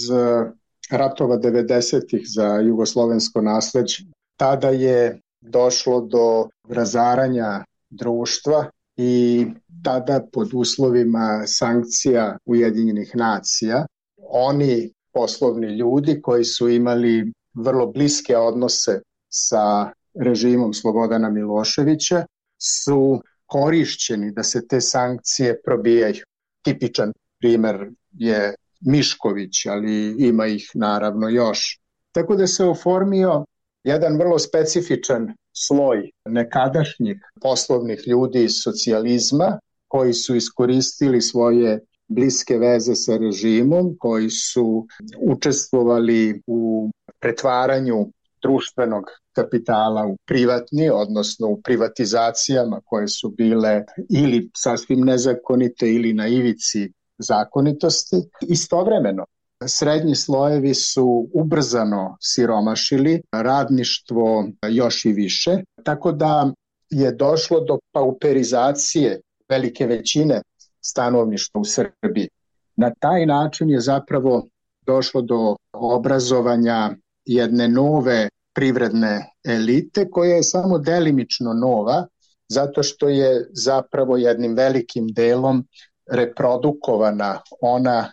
Speaker 10: ratova 90-ih za jugoslovensko nasleđe. Tada je došlo do razaranja društva i tada pod uslovima sankcija Ujedinjenih nacija oni poslovni ljudi koji su imali vrlo bliske odnose sa režimom Slobodana Miloševića su korišćeni da se te sankcije probijaju. Tipičan primer je Mišković, ali ima ih naravno još. Tako da se oformio jedan vrlo specifičan sloj nekadašnjih poslovnih ljudi iz socijalizma koji su iskoristili svoje bliske veze sa režimom, koji su učestvovali u pretvaranju društvenog kapitala u privatni, odnosno u privatizacijama koje su bile ili sasvim nezakonite ili na ivici zakonitosti. Istovremeno, srednji slojevi su ubrzano siromašili, radništvo još i više, tako da je došlo do pauperizacije velike većine stanovništva u Srbiji. Na taj način je zapravo došlo do obrazovanja jedne nove privredne elite koja je samo delimično nova, zato što je zapravo jednim velikim delom reprodukovana ona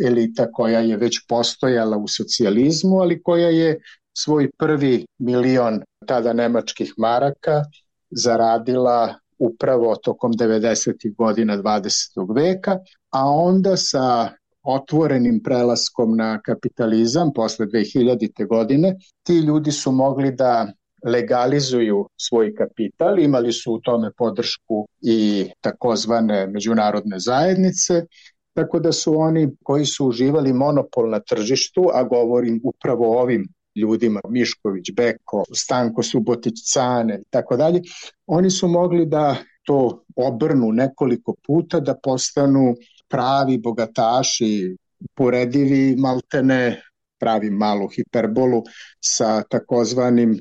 Speaker 10: elita koja je već postojala u socijalizmu, ali koja je svoj prvi milion tada nemačkih maraka zaradila upravo tokom 90. godina 20. veka, a onda sa otvorenim prelaskom na kapitalizam posle 2000. godine ti ljudi su mogli da legalizuju svoj kapital. Imali su u tome podršku i takozvane međunarodne zajednice, tako da su oni koji su uživali monopol na tržištu, a govorim upravo o ovim ljudima, Mišković, Beko, Stanko Subotić, Cane i tako dalje, oni su mogli da to obrnu nekoliko puta, da postanu pravi bogataši, poredivi maltene, pravim malu hiperbolu, sa takozvanim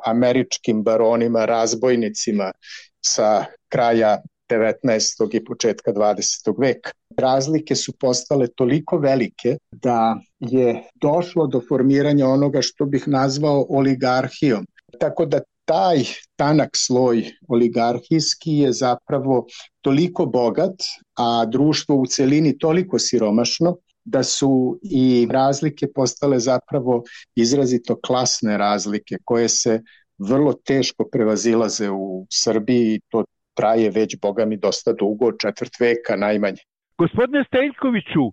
Speaker 10: američkim baronima, razbojnicima sa kraja 19. i početka 20. veka. Razlike su postale toliko velike da je došlo do formiranja onoga što bih nazvao oligarhijom. Tako da taj tanak sloj oligarhijski je zapravo toliko bogat, a društvo u celini toliko siromašno, da su i razlike postale zapravo izrazito klasne razlike koje se vrlo teško prevazilaze u Srbiji. To traje već, boga mi, dosta dugo, 4. veka najmanje.
Speaker 9: Gospodine Steljkoviću,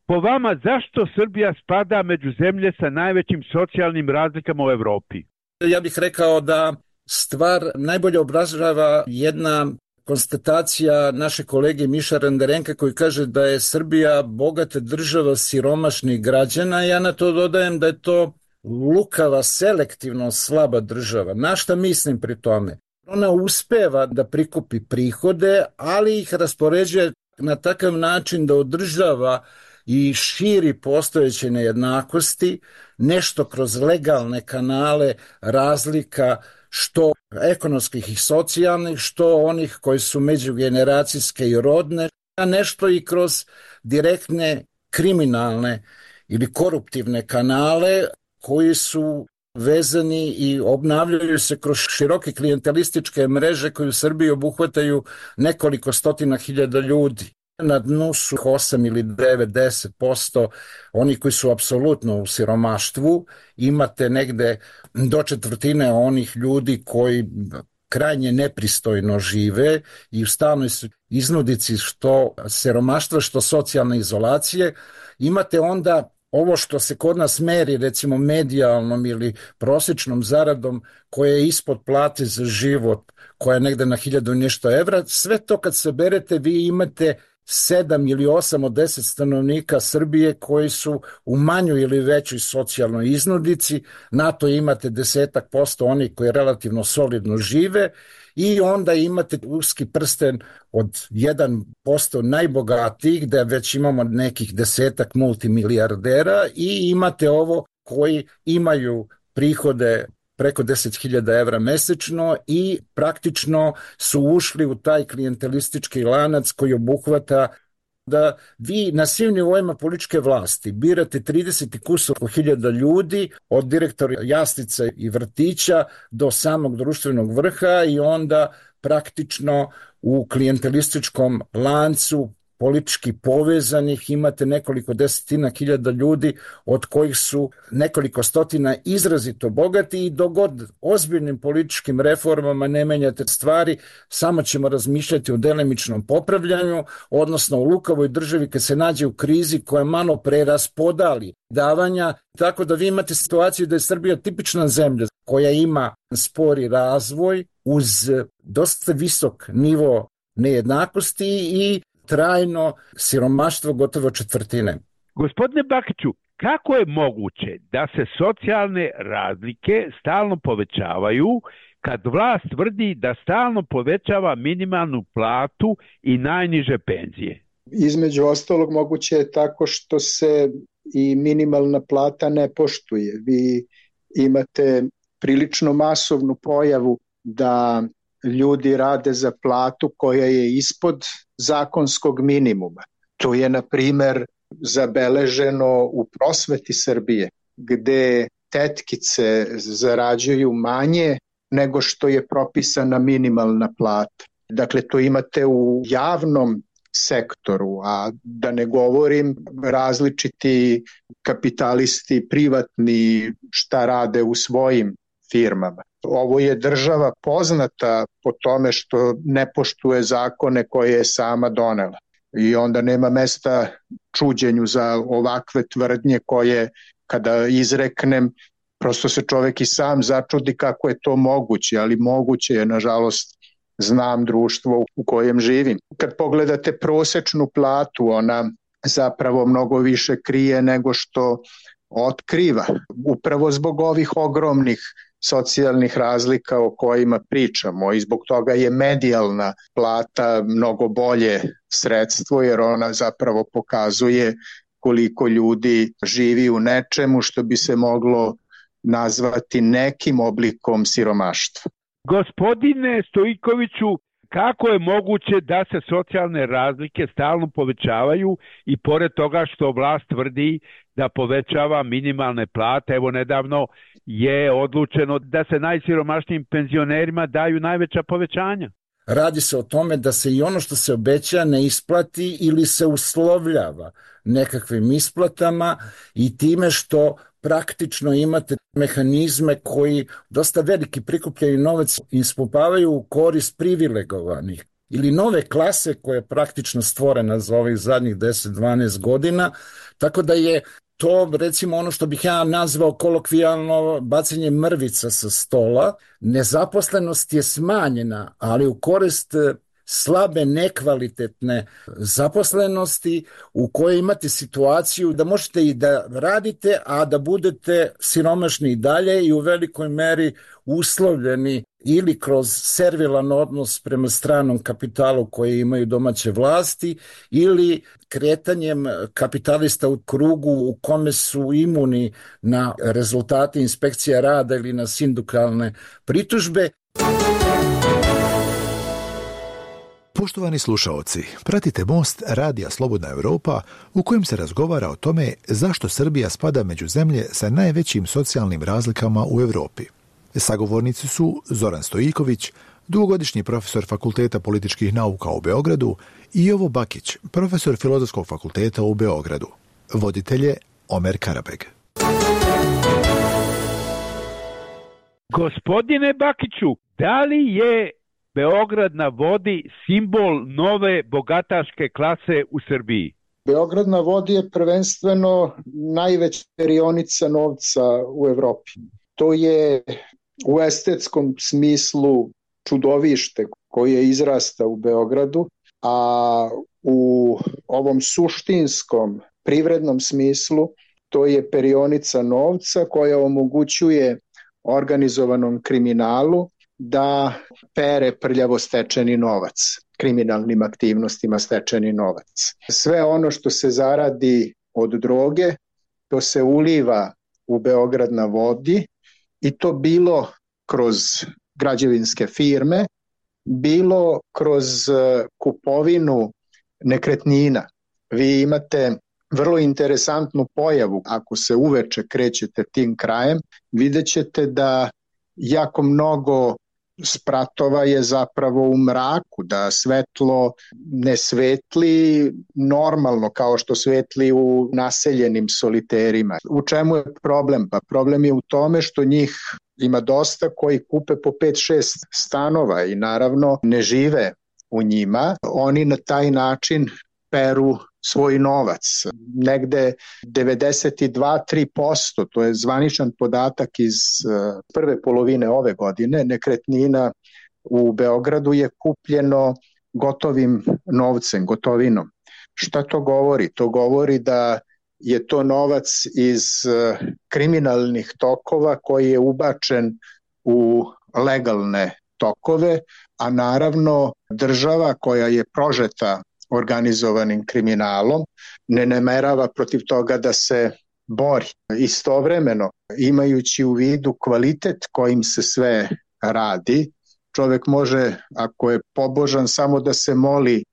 Speaker 9: po vama zašto Srbija spada među zemlje sa najvećim socijalnim razlikama u Evropi?
Speaker 3: Ja bih rekao da stvar najbolje obražava jedna konstatacija naše kolege Miša Renderenka koji kaže da je Srbija bogata država siromašnih građana. Ja na to dodajem da je to lukava, selektivno slaba država. Na šta mislim pri tome? Ona uspeva da prikupi prihode, ali ih raspoređuje na takav način da održava i širi postojeće nejednakosti, nešto kroz legalne kanale razlika, što ekonomskih i socijalnih, što onih koji su međugeneracijske i rodne, a nešto i kroz direktne kriminalne ili koruptivne kanale koji su vezani i obnavljaju se kroz široke klijentelističke mreže koje u Srbiji obuhvataju nekoliko stotina hiljada ljudi. Na dnu su 8 ili 9, 10% oni koji su apsolutno u siromaštvu. Imate negde do 1/4 onih ljudi koji krajnje nepristojno žive i u stalnoj su iznudici što siromaštva, što socijalne izolacije. Imate onda ovo što se kod nas meri, recimo medijalnom ili prosječnom zaradom, koja je ispod plate za život, koja je negde na 1000 nešto evra, sve to kad se berete vi imate 7 ili 8 od 10 stanovnika Srbije koji su u manjoj ili većoj socijalnoj iznudici, na to imate 10% onih koji relativno solidno žive i onda imate uski prsten od 1% najbogatijih, da već imamo nekih 10 multimilijardera i imate ovo koji imaju prihode preko 10.000 evra mesečno i praktično su ušli u taj klijentelistički lanac koji obuhvata da vi na svim nivoima političke vlasti birate 30 i kusur hiljada ljudi, od direktora jaslica i vrtića do samog društvenog vrha i onda praktično u klijentelističkom lancu politički povezanih imate nekoliko desetina hiljada ljudi od kojih su nekoliko stotina izrazito bogati i dogod ozbiljnim političkim reformama ne menjate stvari, samo ćemo razmišljati o delimičnom popravljanju, odnosno u lukavoj državi kad se nađe u krizi koja malo preraspodali davanja, tako da vi imate situaciju da je Srbija tipična zemlja koja ima spori razvoj uz dosta visok nivo nejednakosti i trajno siromaštvo gotovo 1/4.
Speaker 9: Gospodine Bakiću, kako je moguće da se socijalne razlike stalno povećavaju kad vlast tvrdi da stalno povećava minimalnu platu i najniže penzije?
Speaker 10: Između ostalog moguće je tako što se i minimalna plata ne poštuje. Vi imate prilično masovnu pojavu da ljudi rade za platu koja je ispod zakonskog minimuma. To je, na primer, zabeleženo u prosveti Srbije, gde tetkice zarađuju manje nego što je propisana minimalna plata. Dakle, to imate u javnom sektoru, a da ne govorim različiti kapitalisti, privatni, šta rade u svojim firmama. Ovo je država poznata po tome što ne poštuje zakone koje je sama donela. I onda nema mesta čuđenju za ovakve tvrdnje koje, kada izreknem, prosto se čovek i sam začudi kako je to moguće, ali moguće je, nažalost, znam društvo u kojem živim. Kad pogledate prosečnu platu, ona zapravo mnogo više krije nego što otkriva. Upravo zbog ovih ogromnih socijalnih razlika o kojima pričamo i zbog toga je medijalna plata mnogo bolje sredstvo, jer ona zapravo pokazuje koliko ljudi živi u nečemu što bi se moglo nazvati nekim oblikom siromaštva.
Speaker 9: Gospodine Stojkoviću, kako je moguće da se socijalne razlike stalno povećavaju i pored toga što vlast tvrdi da povećava minimalne plate, evo nedavno je odlučeno da se najsiromašnijim penzionerima daju najveća povećanja?
Speaker 3: Radi se o tome da se i ono što se obeća ne isplati ili se uslovljava nekakvim isplatama i time što praktično imate mehanizme koji dosta veliki prikupljaju novac i ispumpavaju u korist privilegovanih ili nove klase koja je praktično stvorena za ovih zadnjih 10-12 godina, tako da je to recimo ono što bih ja nazvao kolokvijalno bacanje mrvica sa stola. Nezaposlenost je smanjena, ali u korist slabe, nekvalitetne zaposlenosti u kojoj imate situaciju da možete i da radite, a da budete siromašni i dalje i u velikoj meri uslovljeni ili kroz servilan odnos prema stranom kapitalu koji imaju domaće vlasti ili kretanjem kapitalista u krugu u kome su imuni na rezultate inspekcija rada ili na sindikalne pritužbe.
Speaker 11: Poštovani slušaoci, pratite Most Radija Slobodna Europa u kojem se razgovara o tome zašto Srbija spada među zemlje sa najvećim socijalnim razlikama u Europi. Sagovornici su Zoran Stojković, dugogodišnji profesor Fakulteta političkih nauka u Beogradu, i Jovo Bakić, profesor Filozofskog fakulteta u Beogradu. Voditelje Omer Karabeg.
Speaker 9: Gospodine Bakiću, da li je Beograd na vodi simbol nove bogataške klase u Srbiji?
Speaker 10: Beograd na vodi je prvenstveno najveća perionica novca u Evropi. To je u estetskom smislu čudovište koje izrasta u Beogradu, a u ovom suštinskom privrednom smislu to je perionica novca koja omogućuje organizovanom kriminalu da pere prljavo stečeni novac, kriminalnim aktivnostima stečeni novac. Sve ono što se zaradi od droge, to se uliva u Beograd na vodi i to bilo kroz građevinske firme, bilo kroz kupovinu nekretnina. Vi imate vrlo interesantnu pojavu, ako se uveče krećete tim krajem, vidjet ćete da jako mnogo spratova je zapravo u mraku, da svetlo ne svetli normalno kao što svetli u naseljenim soliterima. U čemu je problem? Pa problem je u tome što njih ima dosta koji kupe po 5-6 stanova i naravno ne žive u njima. Oni na taj način peru svoj novac. Negde 92-3%, to je zvaničan podatak iz prve polovine ove godine, nekretnina u Beogradu je kupljeno gotovim novcem, gotovinom. Šta to govori? To govori da je to novac iz kriminalnih tokova koji je ubačen u legalne tokove, a naravno država koja je prožeta organizovanim kriminalom ne namerava protiv toga da se bori. Istovremeno, imajući u vidu kvalitet kojim se sve radi, čovek može, ako je pobožan, samo da se moli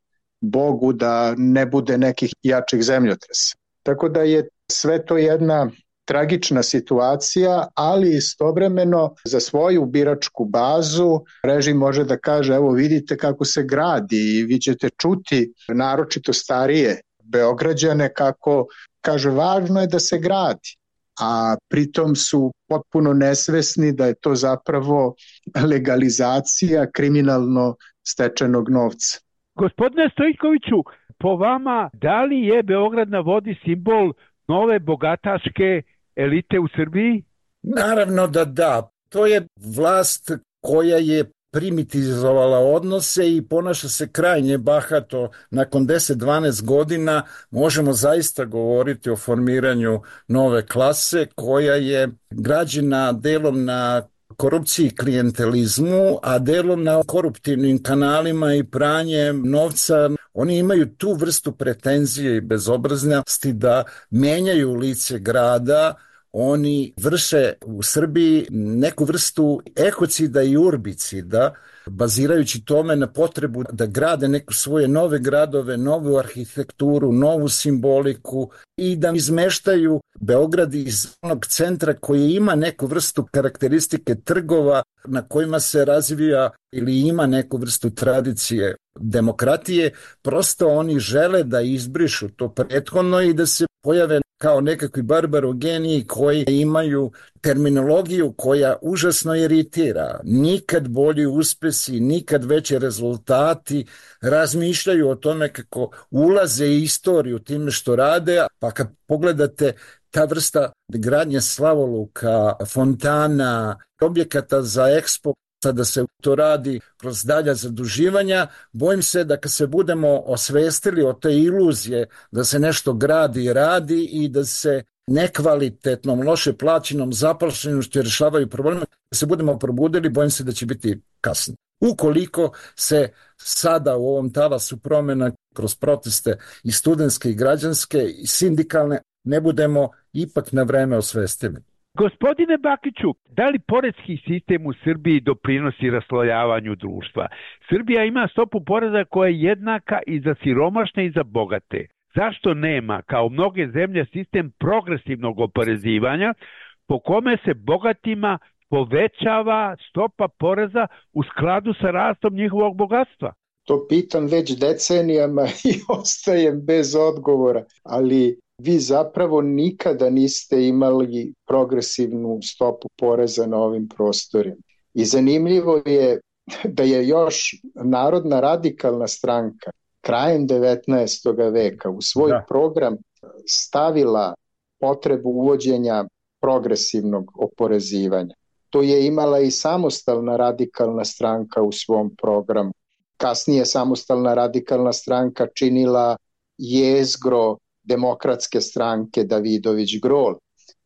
Speaker 10: Bogu da ne bude nekih jačih zemljotresa. Tako da je sve to jedna tragična situacija, ali istovremeno za svoju biračku bazu režim može da kaže evo vidite kako se gradi i vi ćete čuti naročito starije Beograđane kako kaže važno je da se gradi, a pritom su potpuno nesvesni da je to zapravo legalizacija kriminalno stečenog novca.
Speaker 9: Gospodine Stojkoviću, po vama, da li je Beograd na vodi simbol nove bogataške elite u Srbiji?
Speaker 3: Naravno da. To je vlast koja je primitizovala odnose i ponaša se krajnje bahato. Nakon 10-12 godina možemo zaista govoriti o formiranju nove klase koja je građena delom na korupciji i klijentelizmu, a delom na koruptivnim kanalima i pranjem novca. Oni imaju tu vrstu pretenzije i bezobraznosti da menjaju lice grada. Oni vrše u Srbiji neku vrstu ekocida i urbicida, bazirajući tome na potrebu da grade neku svoje nove gradove, novu arhitekturu, novu simboliku i da izmeštaju Beograd iz onog centra koji ima neku vrstu karakteristike trgova na kojima se razvija ili ima neku vrstu tradicije demokratije. Prosto oni žele da izbrišu to prethodno i da se pojave kao nekakvi barbarogeniji koji imaju terminologiju koja užasno iritira. Nikad bolji uspesi, nikad veći rezultati, razmišljaju o tome kako ulaze u istoriju time što rade, pa kad pogledate ta vrsta gradnje slavoluka, fontana, objekata za ekspo, da se to radi kroz dalja zaduživanja, bojim se da kad se budemo osvestili o te iluzije da se nešto gradi i radi i da se nekvalitetnom, loše plaćenom zaposlenošću rješavaju probleme, da se budemo probudili, bojim se da će biti kasno. Ukoliko se sada u ovom talasu promjena kroz proteste i studentske i građanske i sindikalne ne budemo ipak na vreme osvestili.
Speaker 9: Gospodine Bakiću, da li poreski sistem u Srbiji doprinosi raslojavanju društva? Srbija ima stopu poreza koja je jednaka i za siromašne i za bogate. Zašto nema, kao mnoge zemlje, sistem progresivnog oporezivanja po kome se bogatima povećava stopa poreza u skladu sa rastom njihovog bogatstva?
Speaker 10: To pitam već decenijama i ostajem bez odgovora, ali vi zapravo nikada niste imali progresivnu stopu poreza na ovim prostorima. I zanimljivo je da je još Narodna radikalna stranka krajem 19. veka u svoj program stavila potrebu uvođenja progresivnog oporezivanja. To je imala i Samostalna radikalna stranka u svom programu. Kasnije Samostalna radikalna stranka činila jezgro Demokratske stranke Davidović Grol.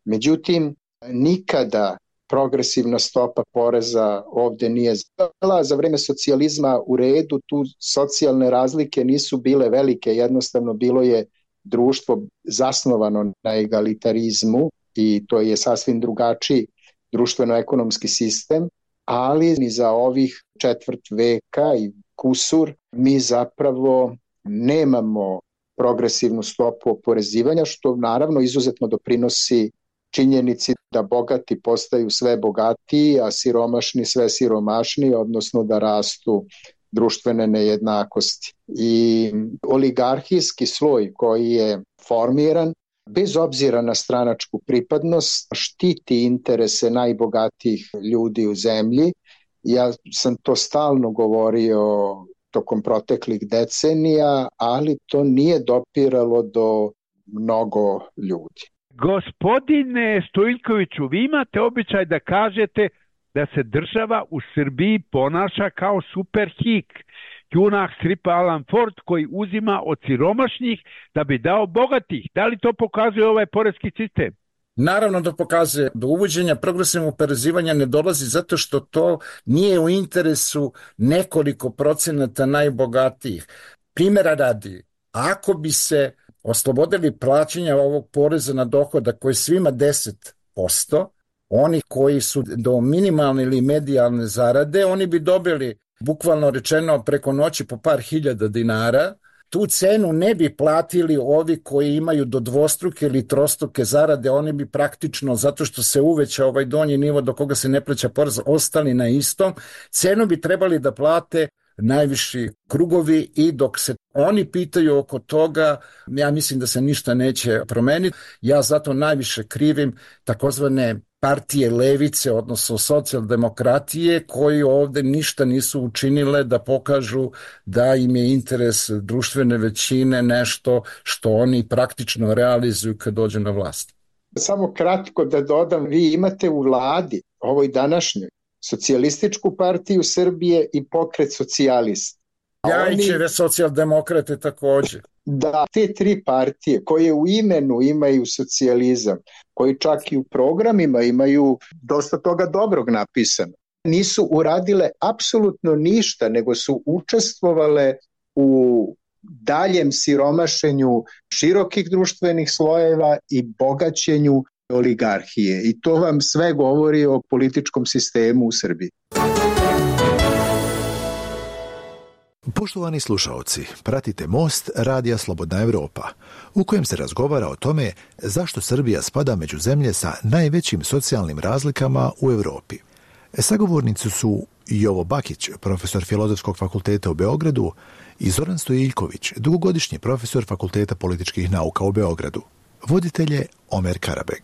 Speaker 10: Međutim, nikada progresivna stopa poreza ovde nije bila. Za vreme socijalizma u redu, tu socijalne razlike nisu bile velike, jednostavno bilo je društvo zasnovano na egalitarizmu i to je sasvim drugačiji društveno-ekonomski sistem, ali ni za ovih četvrt veka i kusur mi zapravo nemamo progresivnu stopu oporezivanja, što naravno izuzetno doprinosi činjenici da bogati postaju sve bogatiji, a siromašni sve siromašniji, odnosno da rastu društvene nejednakosti. I oligarhijski sloj koji je formiran, bez obzira na stranačku pripadnost, štiti interese najbogatijih ljudi u zemlji. Ja sam to stalno govorio tokom proteklih decenija, ali to nije dopiralo do mnogo ljudi.
Speaker 9: Gospodine Stojiljkoviću, vi imate običaj da kažete da se država u Srbiji ponaša kao superhik, junak stripa Alan Ford koji uzima od siromašnih da bi dao bogatih. Da li to pokazuje ovaj poreski sistem?
Speaker 3: Naravno da pokazuje. Do uvođenja progresivnog oporezivanja ne dolazi zato što to nije u interesu nekoliko procenata najbogatijih. Primjera radi, ako bi se oslobodili plaćanja ovog poreza na dohodak koji svima 10%, oni koji su do minimalne ili medijalne zarade, oni bi dobili bukvalno rečeno preko noći po par hiljada dinara. Tu cenu ne bi platili ovi koji imaju do dvostruke ili trostruke zarade, oni bi praktično, zato što se uveća ovaj donji nivo do koga se ne plaća porez, ostali na istom. Cenu bi trebali da plate najviši krugovi i dok se oni pitaju oko toga, ja mislim da se ništa neće promeniti. Ja zato najviše krivim takozvane partije levice, odnosno socijaldemokratije, koji ovde ništa nisu učinile da pokažu da im je interes društvene većine nešto što oni praktično realizuju kad dođu na vlast.
Speaker 10: Samo kratko da dodam, vi imate u vladi, ovoj današnjoj, Socijalističku partiju Srbije i Pokret socijalista.
Speaker 3: Ljajićeve socijaldemokrate također.
Speaker 10: Da, te tri partije koje u imenu imaju socijalizam, koji čak i u programima imaju dosta toga dobrog napisano, nisu uradile apsolutno ništa, nego su učestvovale u daljem siromašenju širokih društvenih slojeva i bogaćenju oligarhije. I to vam sve govori o političkom sistemu u Srbiji.
Speaker 11: Poštovani slušaoci, pratite Most Radija Slobodna Evropa, u kojem se razgovara o tome zašto Srbija spada među zemlje sa najvećim socijalnim razlikama u Evropi. Sagovornici su Jovo Bakić, profesor Filozofskog fakulteta u Beogradu, i Zoran Stojiljković, dugogodišnji profesor Fakulteta političkih nauka u Beogradu. Voditelj je Omer Karabeg.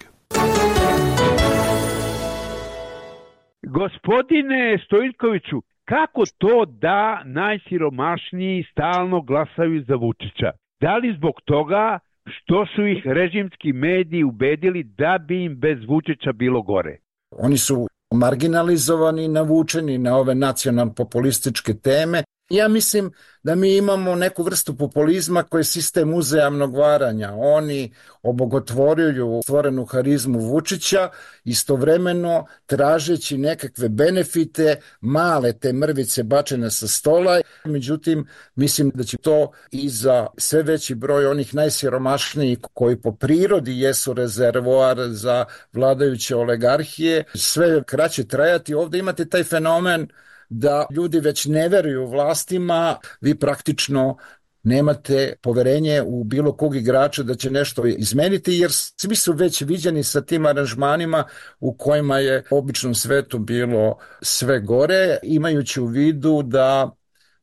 Speaker 9: Gospodine Stojiljkoviću, kako to da najsiromašniji stalno glasaju za Vučića? Da li zbog toga što su ih režimski mediji ubedili da bi im bez Vučića bilo gore?
Speaker 3: Oni su marginalizovani, navučeni na ove nacionalno-populističke teme. Ja mislim da mi imamo neku vrstu populizma koji je sistem uzajamnog varanja. Oni obogotvoruju stvorenu harizmu Vučića, istovremeno tražeći nekakve benefite, male te mrvice bačene sa stola. Međutim, mislim da će to i za sve veći broj onih najsiromašnijih koji po prirodi jesu rezervoar za vladajuće oligarhije, sve kraće trajati. Ovdje imate taj fenomen da ljudi već ne veruju vlastima, vi praktično nemate poverenje u bilo kog igrača da će nešto izmeniti, jer svi su već viđeni sa tim aranžmanima u kojima je u običnom svetu bilo sve gore, imajući u vidu da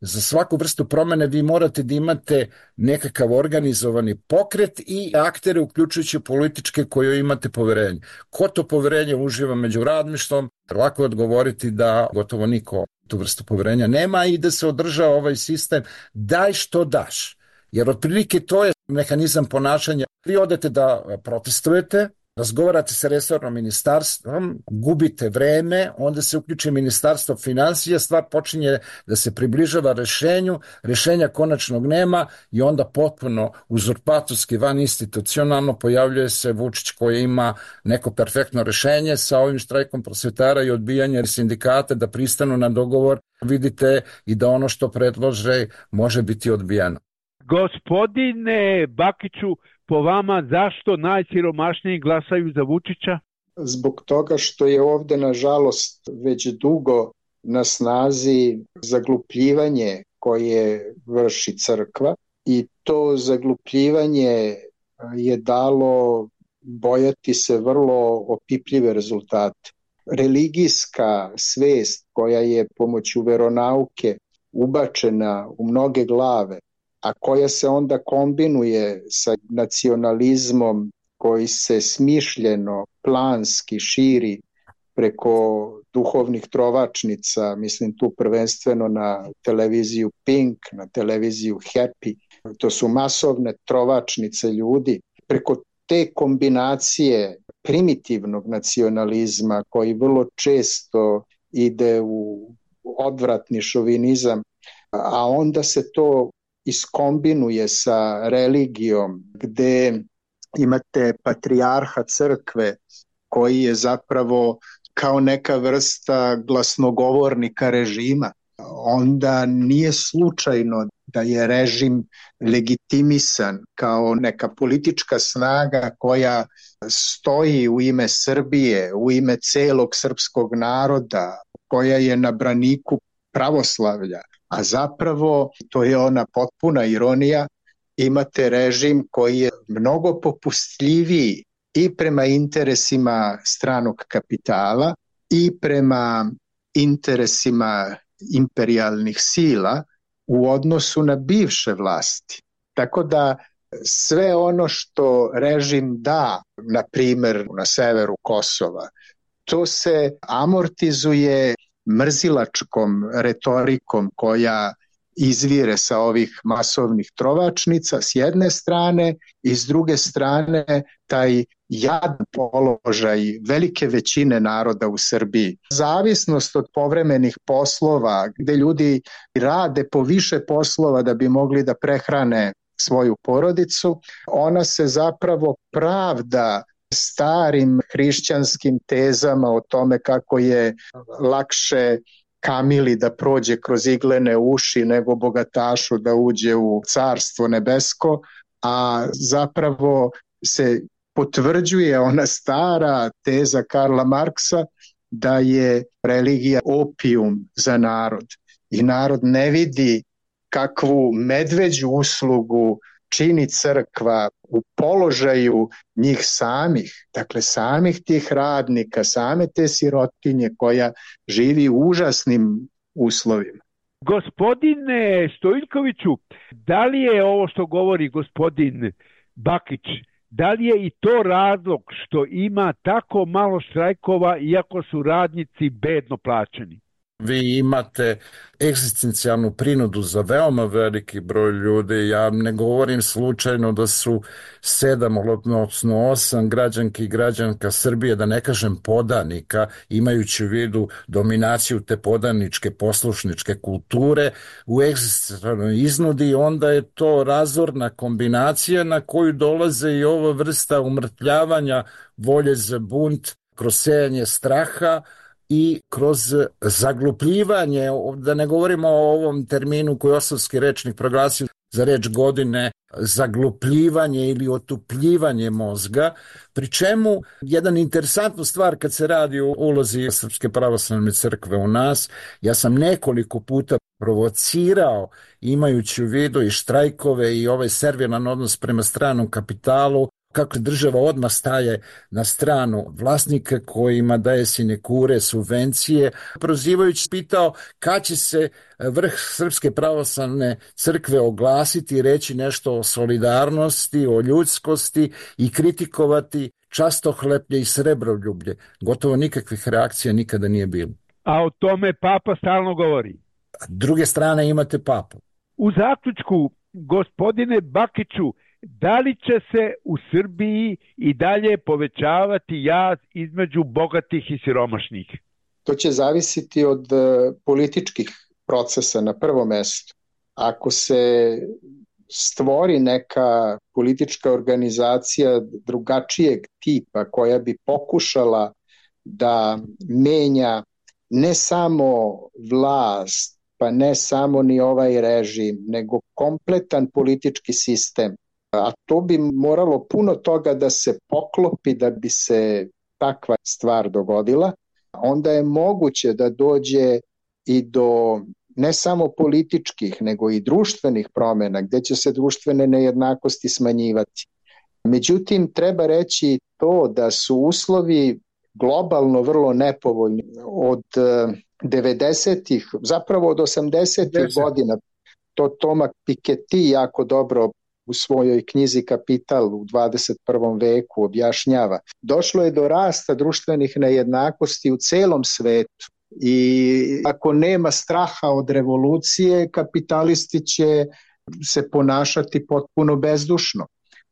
Speaker 3: za svaku vrstu promene vi morate da imate nekakav organizovani pokret i aktere, uključujući političke koje imate poverenje. Ko to poverenje uživa među radništvom? Lako je odgovoriti da gotovo niko tu vrstu poverenja nema i da se održava ovaj sistem daj što daš. Jer otprilike to je mehanizam ponašanja. Vi odete da protestujete, razgovarate sa resornom ministarstvom, gubite vreme, onda se uključi ministarstvo financija, stvar počinje da se približava rešenju, rešenja konačnog nema i onda potpuno uzurpatorski, van institucionalno pojavljuje se Vučić koji ima neko perfektno rešenje sa ovim štrajkom prosvetara i odbijanje sindikata da pristanu na dogovor. Vidite i da ono što predlože može biti odbijeno.
Speaker 9: Gospodine Bakiću, po vama zašto najsiromašniji glasaju za Vučića?
Speaker 10: Zbog toga što je ovde, nažalost, već dugo na snazi zaglupljivanje koje vrši crkva i to zaglupljivanje je dalo bojati se vrlo opipljive rezultate. Religijska svest koja je pomoću veronauke ubačena u mnoge glave, a koja se onda kombinuje sa nacionalizmom koji se smišljeno, planski širi preko duhovnih trovačnica, mislim tu prvenstveno na televiziju Pink, na televiziju Happy, to su masovne trovačnice ljudi, preko te kombinacije primitivnog nacionalizma koji vrlo često ide u odvratni šovinizam, a onda se to iskombinuje sa religijom gde imate patrijarha crkve koji je zapravo kao neka vrsta glasnogovornika režima. Onda nije slučajno da je režim legitimisan kao neka politička snaga koja stoji u ime Srbije, u ime celog srpskog naroda, koja je na braniku pravoslavlja. A zapravo, to je ona potpuna ironija, imate režim koji je mnogo popustljiviji i prema interesima stranog kapitala i prema interesima imperijalnih sila u odnosu na bivše vlasti. Tako da sve ono što režim da, na primer na severu Kosova, to se amortizuje mrzilačkom retorikom koja izvire sa ovih masovnih trovačnica s jedne strane i s druge strane taj jadan položaj velike većine naroda u Srbiji. Zavisnost od povremenih poslova, gde ljudi rade po više poslova da bi mogli da prehrane svoju porodicu, ona se zapravo pravda starim hrišćanskim tezama o tome kako je lakše kamili da prođe kroz iglene uši nego bogatašu da uđe u carstvo nebesko, a zapravo se potvrđuje ona stara teza Karla Marksa da je religija opijum za narod i narod ne vidi kakvu medveđu uslugu čini crkva u položaju njih samih, dakle samih tih radnika, same te sirotinje koja živi u užasnim uslovima.
Speaker 9: Gospodine Stojiljkoviću, da li je ovo što govori gospodin Bakić, da li je i to razlog što ima tako malo štrajkova iako su radnici bedno plaćeni?
Speaker 3: Vi imate egzistencijalnu prinudu za veoma veliki broj ljudi. Ja ne govorim slučajno da su 7, odnosno 8 građanki i građanka Srbije, da ne kažem podanika, imajući u vidu dominaciju te podaničke poslušničke kulture u egzistencijalnoj iznudi, onda je to razorna kombinacija na koju dolaze i ova vrsta umrtljavanja volje za bunt kroz sejanje straha i kroz zaglupljivanje, da ne govorimo o ovom terminu koji je Osavski rečnik proglasio za reč godine, zaglupljivanje ili otupljivanje mozga, pri čemu jedan interesantnu stvar kad se radi o ulozi Srpske pravoslavne crkve u nas, ja sam nekoliko puta provocirao, imajući u vidu i štrajkove i ovaj servilan odnos prema stranom kapitalu, kako država odmah staje na stranu vlasnika kojima daje sinekure, subvencije, prozivajući pitao kad će se vrh Srpske pravoslavne crkve oglasiti i reći nešto o solidarnosti, o ljudskosti i kritikovati častohleplje i srebroljublje. Gotovo nikakvih reakcija nikada nije bilo.
Speaker 9: A o tome Papa stalno govori.
Speaker 3: Druge strane imate Papu.
Speaker 9: U zaključku, gospodine Bakiću, da li će se u Srbiji i dalje povećavati jaz između bogatih i siromašnih?
Speaker 10: To će zavisiti od političkih procesa na prvom mestu. Ako se stvori neka politička organizacija drugačijeg tipa koja bi pokušala da menja ne samo vlast, pa ne samo ni ovaj režim, nego kompletan politički sistem, a to bi moralo puno toga da se poklopi da bi se takva stvar dogodila, onda je moguće da dođe i do ne samo političkih, nego i društvenih promjena, gdje će se društvene nejednakosti smanjivati. Međutim, treba reći to da su uslovi globalno vrlo nepovoljni od 90-ih, zapravo od 80-ih godina. To Thomas Piketty jako dobro u svojoj knjizi Kapital u 21. veku objašnjava. Došlo je do rasta društvenih nejednakosti u celom svetu i ako nema straha od revolucije, kapitalisti će se ponašati potpuno bezdušno,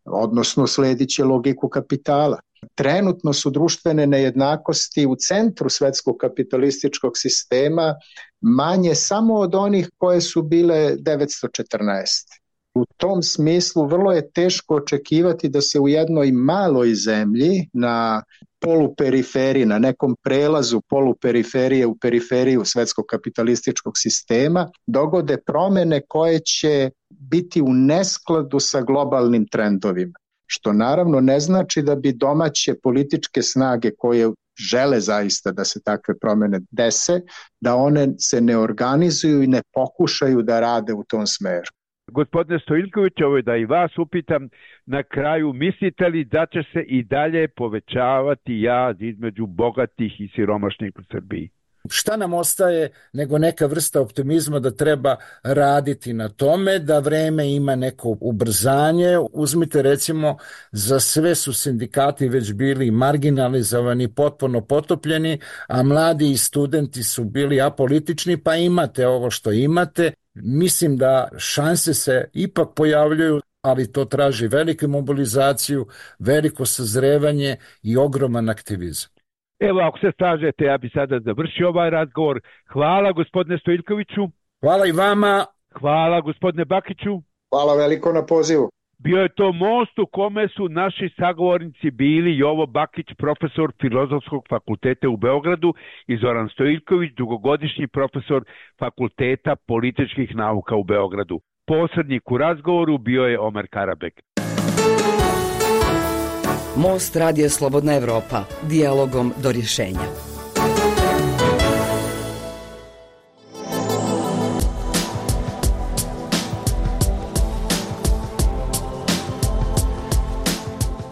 Speaker 10: odnosno sledit će logiku kapitala. Trenutno su društvene nejednakosti u centru svetskog kapitalističkog sistema manje samo od onih koje su bile 914. U tom smislu vrlo je teško očekivati da se u jednoj maloj zemlji na poluperiferiji, na nekom prelazu poluperiferije u periferiju svetskog kapitalističkog sistema dogode promjene koje će biti u neskladu sa globalnim trendovima. Što naravno ne znači da bi domaće političke snage koje žele zaista da se takve promjene dese, da one se ne organizuju i ne pokušaju da rade u tom smeru.
Speaker 9: Gospodine Stojiljković, ovo je da i vas upitam na kraju, mislite li da će se i dalje povećavati jaz između bogatih i siromašnih u Srbiji?
Speaker 3: Šta nam ostaje nego neka vrsta optimizma da treba raditi na tome, da vreme ima neko ubrzanje. Uzmite recimo, za sve su sindikati već bili marginalizovani, potpuno potopljeni, a mladi i studenti su bili apolitični, pa imate ovo što imate. Mislim da šanse se ipak pojavljuju, ali to traži veliku mobilizaciju, veliko sazrevanje i ogroman aktivizam.
Speaker 9: Evo, ako se slažete, ja bi sada završio ovaj razgovor. Hvala gospodine Stojiljkoviću.
Speaker 3: Hvala i vama.
Speaker 9: Hvala gospodine Bakiću.
Speaker 10: Hvala veliko na pozivu.
Speaker 9: Bio je to most u kome su naši sagovornici bili Jovo Bakić, profesor Filozofskog fakulteta u Beogradu, i Zoran Stojiljković, dugogodišnji profesor Fakulteta političkih nauka u Beogradu. Posrednik u razgovoru bio je Omer Karabek.
Speaker 1: Most Radija Slobodna Evropa, dijalogom do rješenja.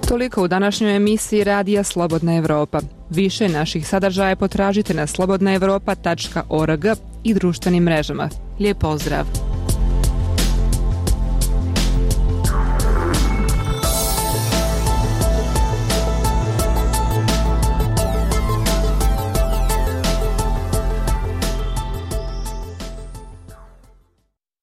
Speaker 2: Toliko u današnjoj emisiji Radija Slobodna Evropa. Više naših sadržaja potražite na slobodnaevropa.org i društvenim mrežama. Lijep pozdrav!